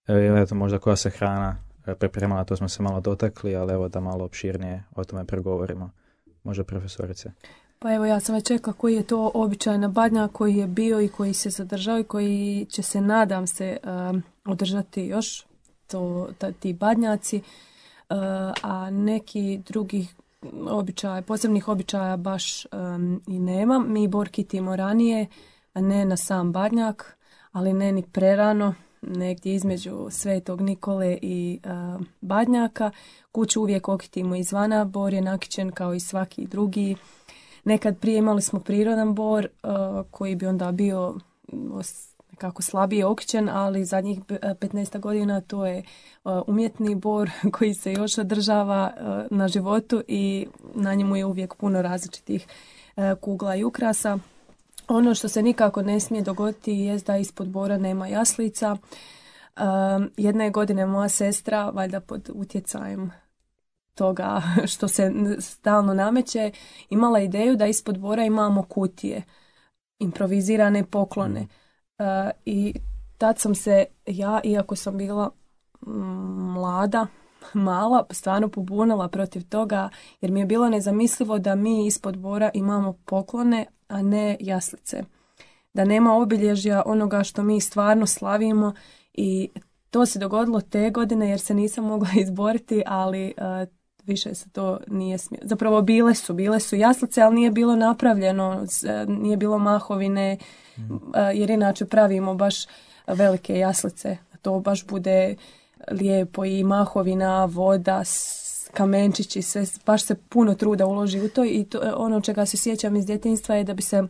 ili eto možda koja se hrana pripremala, to smo se malo dotakli, ali evo da malo opširnije o tome pregovorimo. Može, profesorice? Pa evo, ja sam već čekala koji je to običaj na Badnjak, koji je bio i koji se zadržao i koji će se, nadam se, um, održati još, to, ta, ti Badnjaci, uh, a neki drugih običaja, posebnih običaja baš um, i nema. Mi bor kitimo ranije, a ne na sam Badnjak, ali ne ni prerano, negdje između Svetog Nikole i uh, Badnjaka. Kuću uvijek okitimo izvana, bor je nakićen kao i svaki drugi. Nekad prije imali smo prirodan bor uh, koji bi onda bio nekako slabije okićen, ali zadnjih petnaest godina to je uh, umjetni bor koji se još održava uh, na životu i na njemu je uvijek puno različitih uh, kugla i ukrasa. Ono što se nikako ne smije dogoditi je da ispod bora nema jaslica. Um, jedne godine moja sestra, valjda pod utjecajem toga što se stalno nameće, imala ideju da ispod bora imamo kutije, improvizirane poklone. Uh, I tad sam se ja, iako sam bila mlada, mala, stvarno pobunila protiv toga, jer mi je bilo nezamislivo da mi ispod bora imamo poklone, a ne jaslice. Da nema obilježja onoga što mi stvarno slavimo i to se dogodilo te godine jer se nisam mogla izboriti, ali uh, više se to nije smjelo. Zapravo bile su, bile su jaslice, ali nije bilo napravljeno, nije bilo mahovine, mm. uh, jer inače pravimo baš velike jaslice. To baš bude lijepo i mahovina, voda, kamenčići, sve, baš se puno truda uloži u to i to, ono čega se sjećam iz djetinjstva je da bi se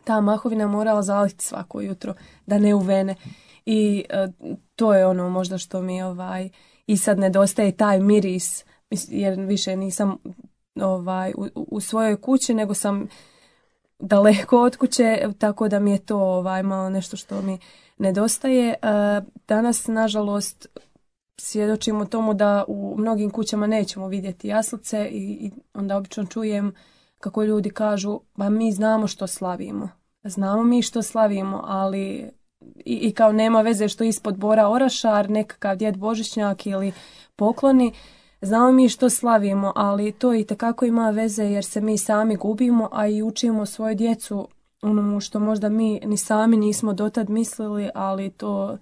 ta mahovina morala zaliti svako jutro, da ne uvene. I uh, to je ono možda što mi ovaj i sad nedostaje taj miris, jer više nisam ovaj u, u svojoj kući, nego sam daleko od kuće, tako da mi je to ovaj malo nešto što mi nedostaje. Uh, danas, nažalost, svjedočimo tomu da u mnogim kućama nećemo vidjeti jaslice i, i onda obično čujem kako ljudi kažu, ba mi znamo što slavimo. Znamo mi što slavimo, ali i, i kao nema veze što ispod bora orašar, nekakav djed Božićnjak ili pokloni. Znamo mi što slavimo, ali to i tekako ima veze jer se mi sami gubimo, a i učimo svoju djecu onomu što možda mi ni sami nismo dotad mislili, ali to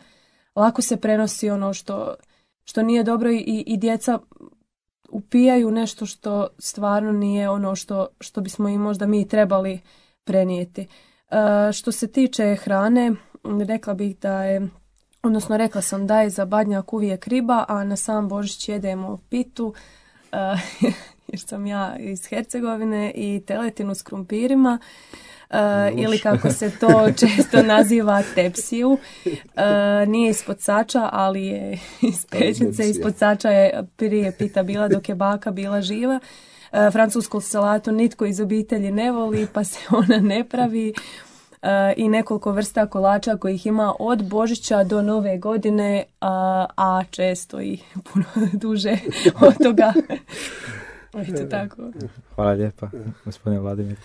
lako se prenosi ono što, što nije dobro i, i djeca upijaju nešto što stvarno nije ono što, što bismo im možda mi trebali prenijeti. E, što se tiče hrane, rekla bih da je, odnosno rekla sam da je za Badnjak uvijek riba, a na sam Božić jedemo pitu, e, jer sam ja iz Hercegovine, i teletinu s krumpirima. Uh, ili kako se to često naziva tepsiju. Uh, nije ispod sača, ali je iz pećnice. Ispod sača je prije pita bila dok je baka bila živa. Uh, francusku salatu nitko iz obitelji ne voli, pa se ona ne pravi. Uh, I nekoliko vrsta kolača kojih ima od Božića do Nove godine, uh, a često i puno duže od toga. Eto tako. Hvala lijepa, gospodine Vladimir.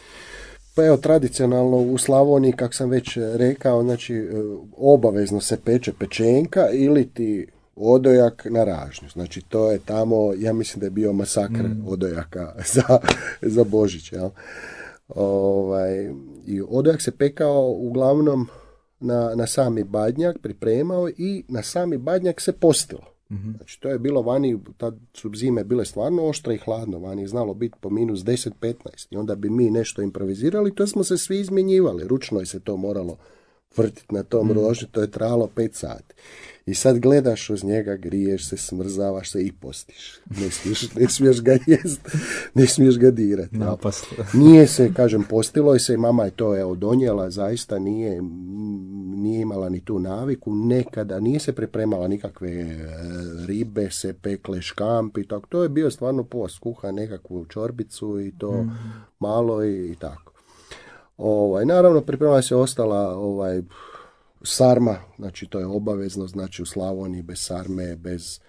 Pa evo, tradicionalno u Slavoniji, kako sam već rekao, znači obavezno se peče pečenka ili ti odojak na ražnju. Znači to je tamo, ja mislim da je bio masakr mm. odojaka za, za Božić. Jel? Ovaj, i odojak se pekao uglavnom na, na sami Badnjak, pripremao i na sami Badnjak se postilo. Mm-hmm. Znači to je bilo vani, tad su zime bile stvarno oštre i hladno, vani je znalo biti po minus deset petnaest i onda bi mi nešto improvizirali, to smo se svi izmjenjivali, ručno je se to moralo vrtiti na tom mm. rožnju, to je trajalo pet sati. I sad gledaš uz njega, griješ se, smrzavaš se i postiš. Ne smiješ, ne smiješ ga jest, ne smiješ ga dirati. No, nije se, kažem, postilo je se, mama je to evo donijela, zaista nije, nije imala ni tu naviku, nekada nije se pripremala nikakve ribe, se pekle škampi, tako. To je bio stvarno post, kuha nekakvu čorbicu i to mm. malo i, i tako. Ovaj, naravno, pripremala se ostala ovaj, sarma, znači to je obavezno, znači u Slavoniji bez sarme, bez,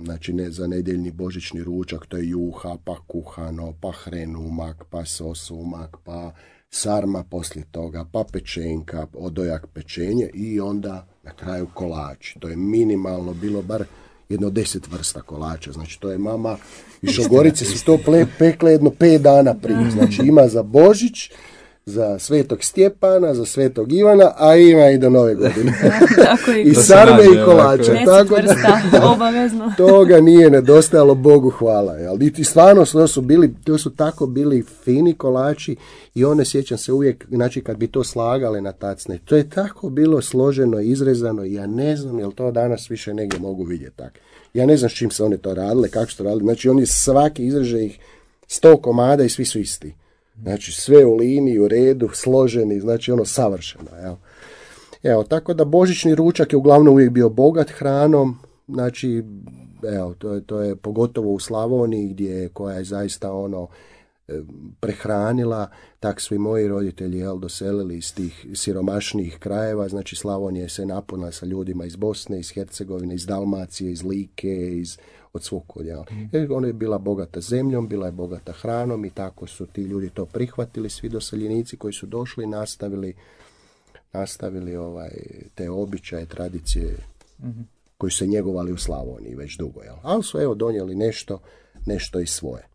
znači ne za nedjeljni božićni ručak, to je juha, pa kuhano, pa hrenumak, pa sosumak, pa sarma poslije toga, pa pečenka, odojak pečenje i onda na kraju kolači. To je minimalno bilo bar jedno deset vrsta kolača. Znači to je mama i Šogorice su to ple, pekle jedno pet dana prije. Znači ima za Božić, za Svetog Stjepana, za Svetog Ivana, a ima i do Nove godine. Tako i, I sarme i kolače. deset Tako vrsta, da, obavezno. Toga nije nedostajalo, Bogu hvala. Jel? I stvarno to su, bili, to su tako bili fini kolači i one, sjećam se uvijek, znači kad bi to slagale na tacne, to je tako bilo složeno, izrezano, ja ne znam jel to danas više negdje mogu vidjeti tako. Ja ne znam s čim se one to radile, kako su to radili. Znači oni svaki izreže ih sto komada i svi su isti. Znači sve u liniji, u redu, složeni, znači ono savršeno. Evo. Evo, tako da božićni ručak je uglavnom uvijek bio bogat hranom, znači evo, to je, to je pogotovo u Slavoniji gdje koja je zaista ono prehranila, tak su i moji roditelji jel, doselili iz tih siromašnijih krajeva, znači Slavonija se napunila sa ljudima iz Bosne, iz Hercegovine, iz Dalmacije, iz Like, iz od svog kodjela. Jer ona je bila bogata zemljom, bila je bogata hranom i tako su ti ljudi to prihvatili, svi doseljenici koji su došli nastavili nastavili ovaj, te običaje, tradicije mm-hmm. koji su se njegovali u Slavoniji već dugo. Jel? Ali su evo donijeli nešto, nešto i svoje.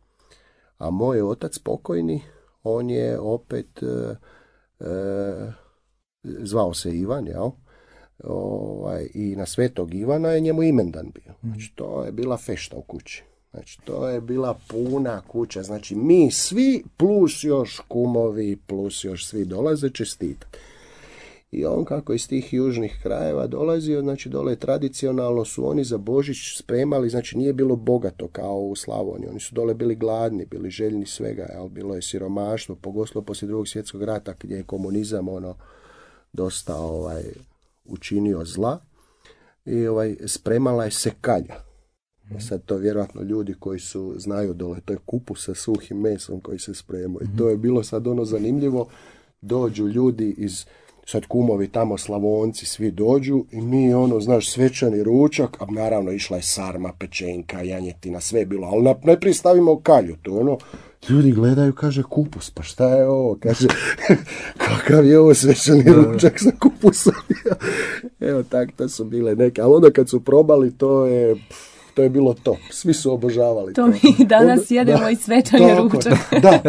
A moj otac pokojni, on je opet e, e, zvao se Ivan, jel? Ovaj, i na Svetog Ivana je njemu imendan bio. Znači, to je bila fešta u kući. Znači, to je bila puna kuća. Znači, mi svi plus još kumovi, plus još svi dolaze čestitati. I on kako iz tih južnih krajeva dolazio, znači dole tradicionalno su oni za Božić spremali, znači nije bilo bogato kao u Slavoniji. Oni su dole bili gladni, bili željni svega, jel? Bilo je siromaštvo, pogotovo poslije drugog svjetskog rata gdje je komunizam ono dosta ovaj učinio zla i ovaj, spremala je se kalja. Mm. Sad to vjerojatno ljudi koji su znaju dole, to je kupus sa suhim mesom koji se spremaju. Mm. To je bilo sad ono zanimljivo, dođu ljudi iz, sad kumovi tamo Slavonci, svi dođu i mi ono, znaš, svečani ručak, a naravno išla je sarma, pečenka, janjetina, sve je bilo, ali najprije stavimo kalju, to ono, ljudi gledaju, kaže kupus, pa šta je ovo, kaže, kakav je ovo svečani ručak sa kupusom, evo tak, to su bile neke, ali onda kad su probali, to je, to je bilo to, svi su obožavali to. To mi danas onda, jedemo da, i svečani ručak. Da,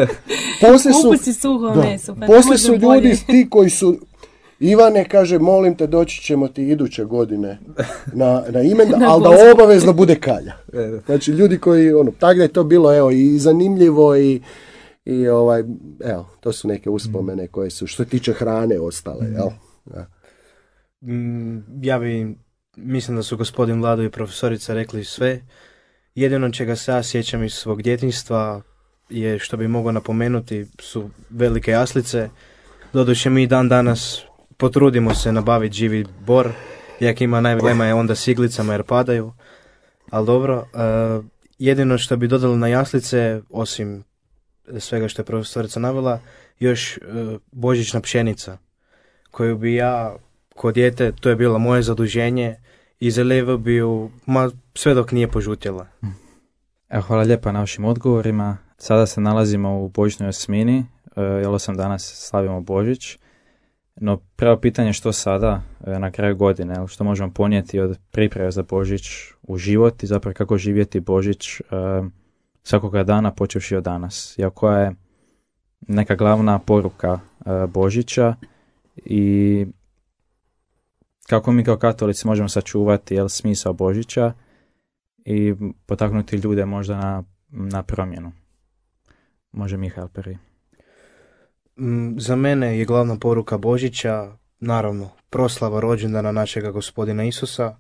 poslije su, kupus i suho da, meso, pa poslije su ljudi ti koji su, Ivane, kaže, molim te, doći ćemo ti iduće godine na, na imendan, ali da obavezno bude kalja. Znači, ljudi koji, ono, tako da je to bilo, evo, i zanimljivo i, i ovaj, evo, to su neke uspomene koje su, što se tiče hrane, ostale, jel? Ja. Ja bi, mislim da su gospodin Vlado i profesorica rekli sve. Jedino čega se ja sjećam iz svog djetinjstva je, što bi mogao napomenuti, su velike jaslice. Doduše mi dan danas potrudimo se nabaviti živi bor, jak ima najvećima je onda s iglicama jer padaju, ali dobro. Uh, jedino što bi dodali na jaslice, osim svega što je profesorica navela, još uh, božićna pšenica, koju bi ja, kod dijete, to je bilo moje zaduženje, i zalivao bi ju, ma, sve dok nije požutjela. Evo, hvala lijepa na vašim odgovorima. Sada se nalazimo u božićnoj osmini, uh, jel osam danas slavimo Božić. No, pravo pitanje što sada, na kraju godine, što možemo ponijeti od priprave za Božić u život i zapravo kako živjeti Božić uh, svakoga dana počevši od danas. I koja je neka glavna poruka uh, Božića i kako mi kao katolici možemo sačuvati jel, smisao Božića i potaknuti ljude možda na, na promjenu. Može Mihael prvi. Za mene je glavna poruka Božića, naravno, proslava rođendana našega gospodina Isusa,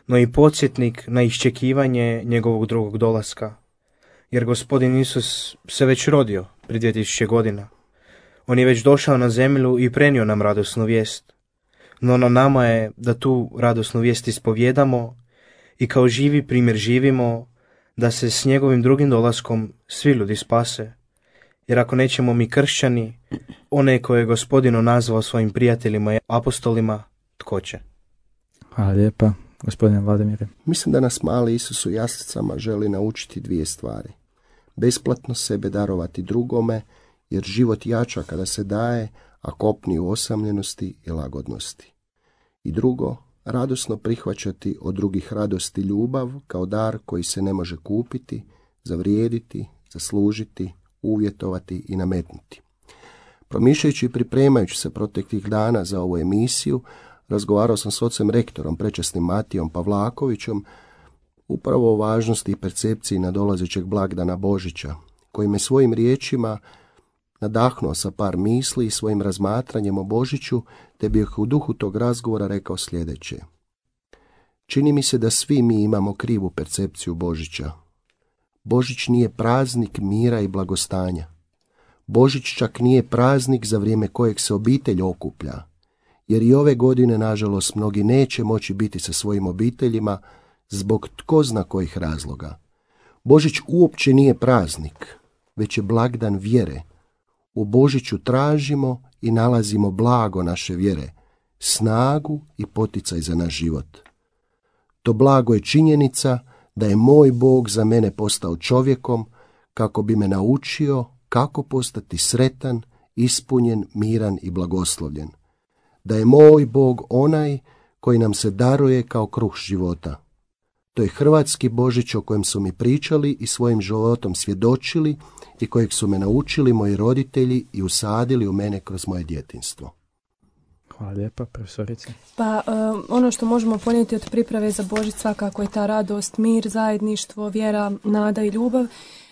no i podsjetnik na iščekivanje njegovog drugog dolaska. Jer gospodin Isus se već rodio prije dvije tisuće godina. On je već došao na zemlju i prenio nam radosnu vijest. No na nama je da tu radosnu vijest ispovjedamo i kao živi primjer živimo da se s njegovim drugim dolaskom svi ljudi spase. Jer ako nećemo mi kršćani, one koje je gospodin nazvao svojim prijateljima i apostolima, tko će? Hvala lijepa, gospodine Vladimire. Mislim da nas mali Isus u jaslicama želi naučiti dvije stvari. Besplatno sebe darovati drugome, jer život jača kada se daje, a kopni u osamljenosti i lagodnosti. I drugo, radosno prihvaćati od drugih radost i ljubav kao dar koji se ne može kupiti, zavrijediti, zaslužiti, uvjetovati i nametnuti. Promišljajući i pripremajući se proteklih dana za ovu emisiju, razgovarao sam s ocem rektorom, prečasnim Matijom Pavlakovićem, upravo o važnosti i percepciji nadolazećeg blagdana Božića, koji me svojim riječima nadahnuo sa par misli i svojim razmatranjem o Božiću, te bih u duhu tog razgovora rekao sljedeće. Čini mi se da svi mi imamo krivu percepciju Božića. Božić nije praznik mira i blagostanja. Božić čak nije praznik za vrijeme kojeg se obitelj okuplja, jer i ove godine, nažalost, mnogi neće moći biti sa svojim obiteljima zbog tko zna kojih razloga. Božić uopće nije praznik, već je blagdan vjere. U Božiću tražimo i nalazimo blago naše vjere, snagu i poticaj za naš život. To blago je činjenica da je moj Bog za mene postao čovjekom kako bi me naučio kako postati sretan, ispunjen, miran i blagoslovljen. Da je moj Bog onaj koji nam se daruje kao kruh života. To je hrvatski Božić o kojem su mi pričali i svojim životom svjedočili i kojeg su me naučili moji roditelji i usadili u mene kroz moje djetinjstvo. Hvala lijepa, profesorice. Pa um, ono što možemo ponijeti od priprave za Božić svakako je ta radost, mir, zajedništvo, vjera, nada i ljubav.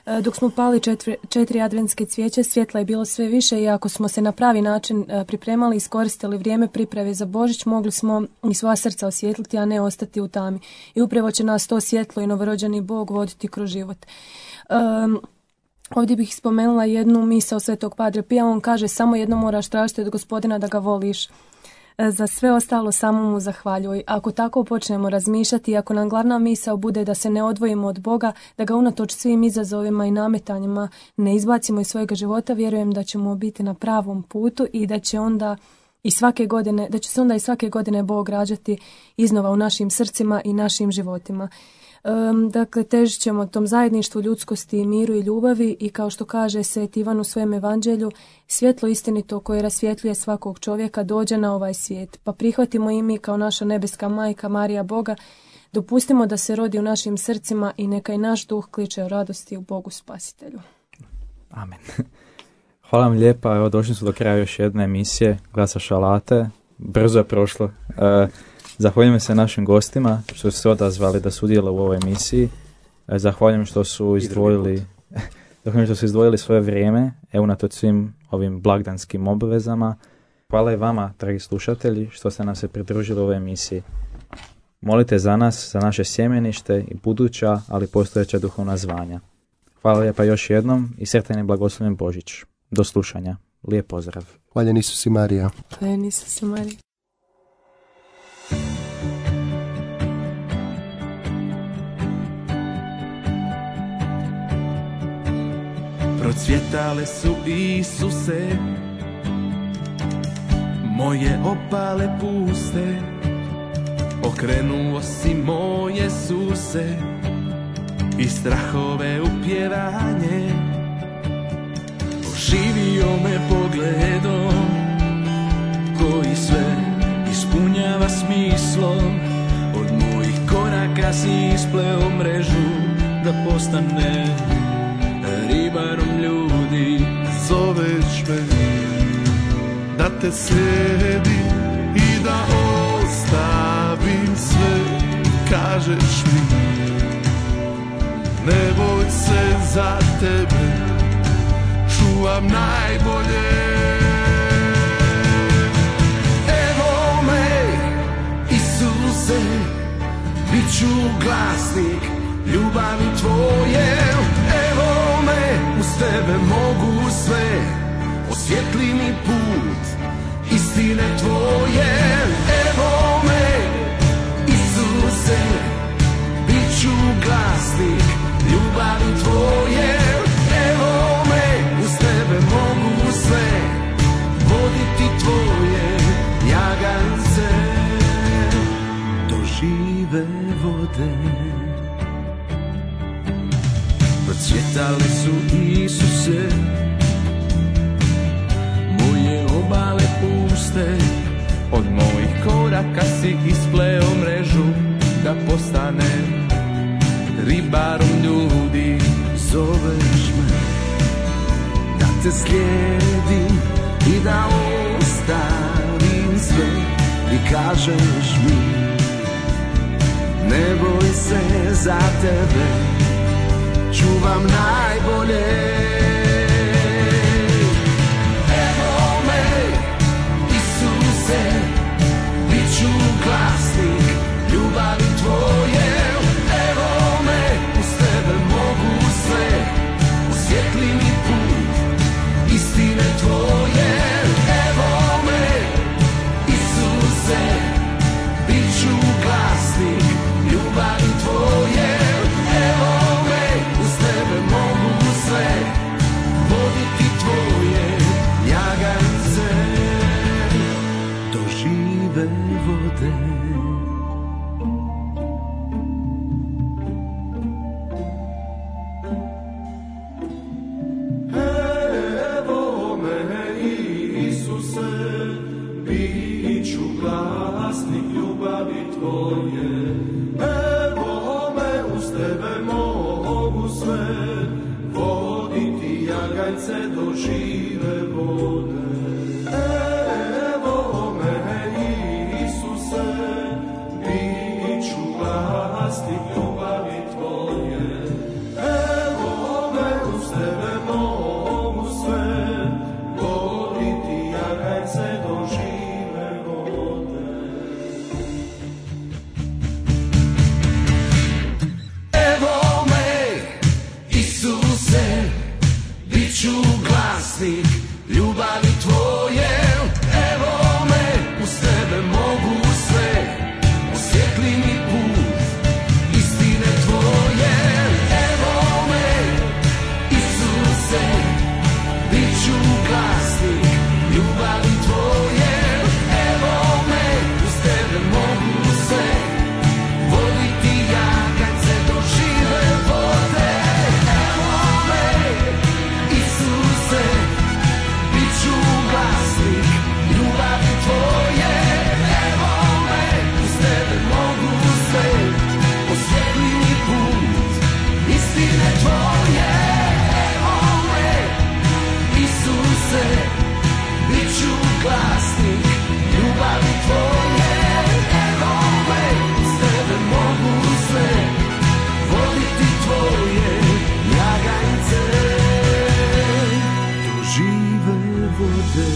E, dok smo pali četiri, četiri adventske cvijeće, svjetla je bilo sve više i ako smo se na pravi način e, pripremali i iskoristili vrijeme priprave za Božić, mogli smo i svoja srca osvijetliti, a ne ostati u tami. I upravo će nas to svjetlo i novorođeni Bog voditi kroz život. Um, Ovdje bih spomenula jednu misao Svetog Padre Pija. On kaže, samo jedno moraš tražiti od Gospodina, da ga voliš. Za sve ostalo samo mu zahvaljuj. Ako tako počnemo razmišljati, ako nam glavna misao bude da se ne odvojimo od Boga, da ga unatoč svim izazovima i nametanjima ne izbacimo iz svojega života, vjerujem da ćemo biti na pravom putu i da će onda i svake godine, da će se onda i svake godine Bog rađati iznova u našim srcima i našim životima. Um, dakle, težit ćemo tom zajedništvu, ljudskosti, miru i ljubavi i kao što kaže Sveti Ivan u svojem evanđelju, svjetlo istinito koje rasvjetljuje svakog čovjeka dođe na ovaj svijet. Pa prihvatimo i mi kao naša nebeska majka Marija Boga, dopustimo da se rodi u našim srcima i neka i naš duh kliče o radosti u Bogu Spasitelju. Amen. Hvala vam lijepa, evo došli smo do kraja još jedne emisije Glasa šalate. Brzo je prošlo. Uh, Zahvaljujem se našim gostima što su se odazvali da sudjeluju u ovoj emisiji. Zahvaljujem što su izdvojili, zahvaljujem što su izdvojili svoje vrijeme, evo unatoč svim ovim blagdanskim obvezama. Hvala i vama, dragi slušatelji, što ste nam se pridružili u ovoj emisiji. Molite za nas, za naše sjemenište i buduća, ali postojeća duhovna zvanja. Hvala lijepa još jednom i sretan i blagoslovljen Božić. Do slušanja. Lijep pozdrav. Hvaljen Isus i Marija. Hvaljen Isus i Marija. Procvjetale su, Isuse, moje opale puste, okrenuo si moje suse i strahove u pjevanje. Oživio me pogledom koji sve ispunjava smislom. Od mojih koraka si ispleo mrežu da postane ribarom ljudi. Zoveš me da te slijedim i da ostavim sve. Kažeš mi ne boj se, za tebe čuvam najbolje. Evo me, Isuse, bit ću glasnik ljubavi tvoje. Evo me, uz tebe mogu sve, osvijetli mi put istine tvoje. Evo me, Isuse, bit ću glasnik ljubavi tvoje. Evo me, uz tebe mogu sve, voditi tvoje jagance do žive vode. Procvjetale su, Isuse, moje obale puste, Od mojih koraka si ispleo mrežu, da postanem ribarom ljudi. Zoveš me da te slijedim i da ostavim sve i kažeš mi ne boj se, za tebe čuvam najbolje. Evo me, Isuse, bit ću glasnik ljubavi tvoje. Evo me, uz tebe mogu sve, osvijetli mi put istine tvoje. Evo me, Isuse, bit ću glasnik ljubavi tvoje. Evo me, uz tebe mogu sve, voditi tvoje ljagance do žive vode. Evo me, Isuse, bit ću glasnik ljubavi tvoje. Evo me, uz tebe mogu sve, voditi jaganjce do žive vode. Evo me, Isuse, bit ću glasnik ljubavi tvoje. Evo me, uz tebe mogu sve, voditi jaganjce do žive vode. Evo me, Isuse, bit ću glasnik ljubavi tvoje. Evo me, uz tebe mogu sve, osvijetli mi put istine tvoje. Evo me, Isuse, bit ću glasnik ljubavi tvoje. Evo me, uz tebe mogu sve, voditi jaganjce do žive vode. Evo me, Isuse, bit ću glasnik ljubavi tvoje. Evo me, uz tebe mogu sve, osvijetli mi put istine tvoje. Evo me, Isuse, bit ću glasnik ljubavi tvoje. Evo me, uz tebe mogu sve, voditi tvoje jaganjce do žive vode.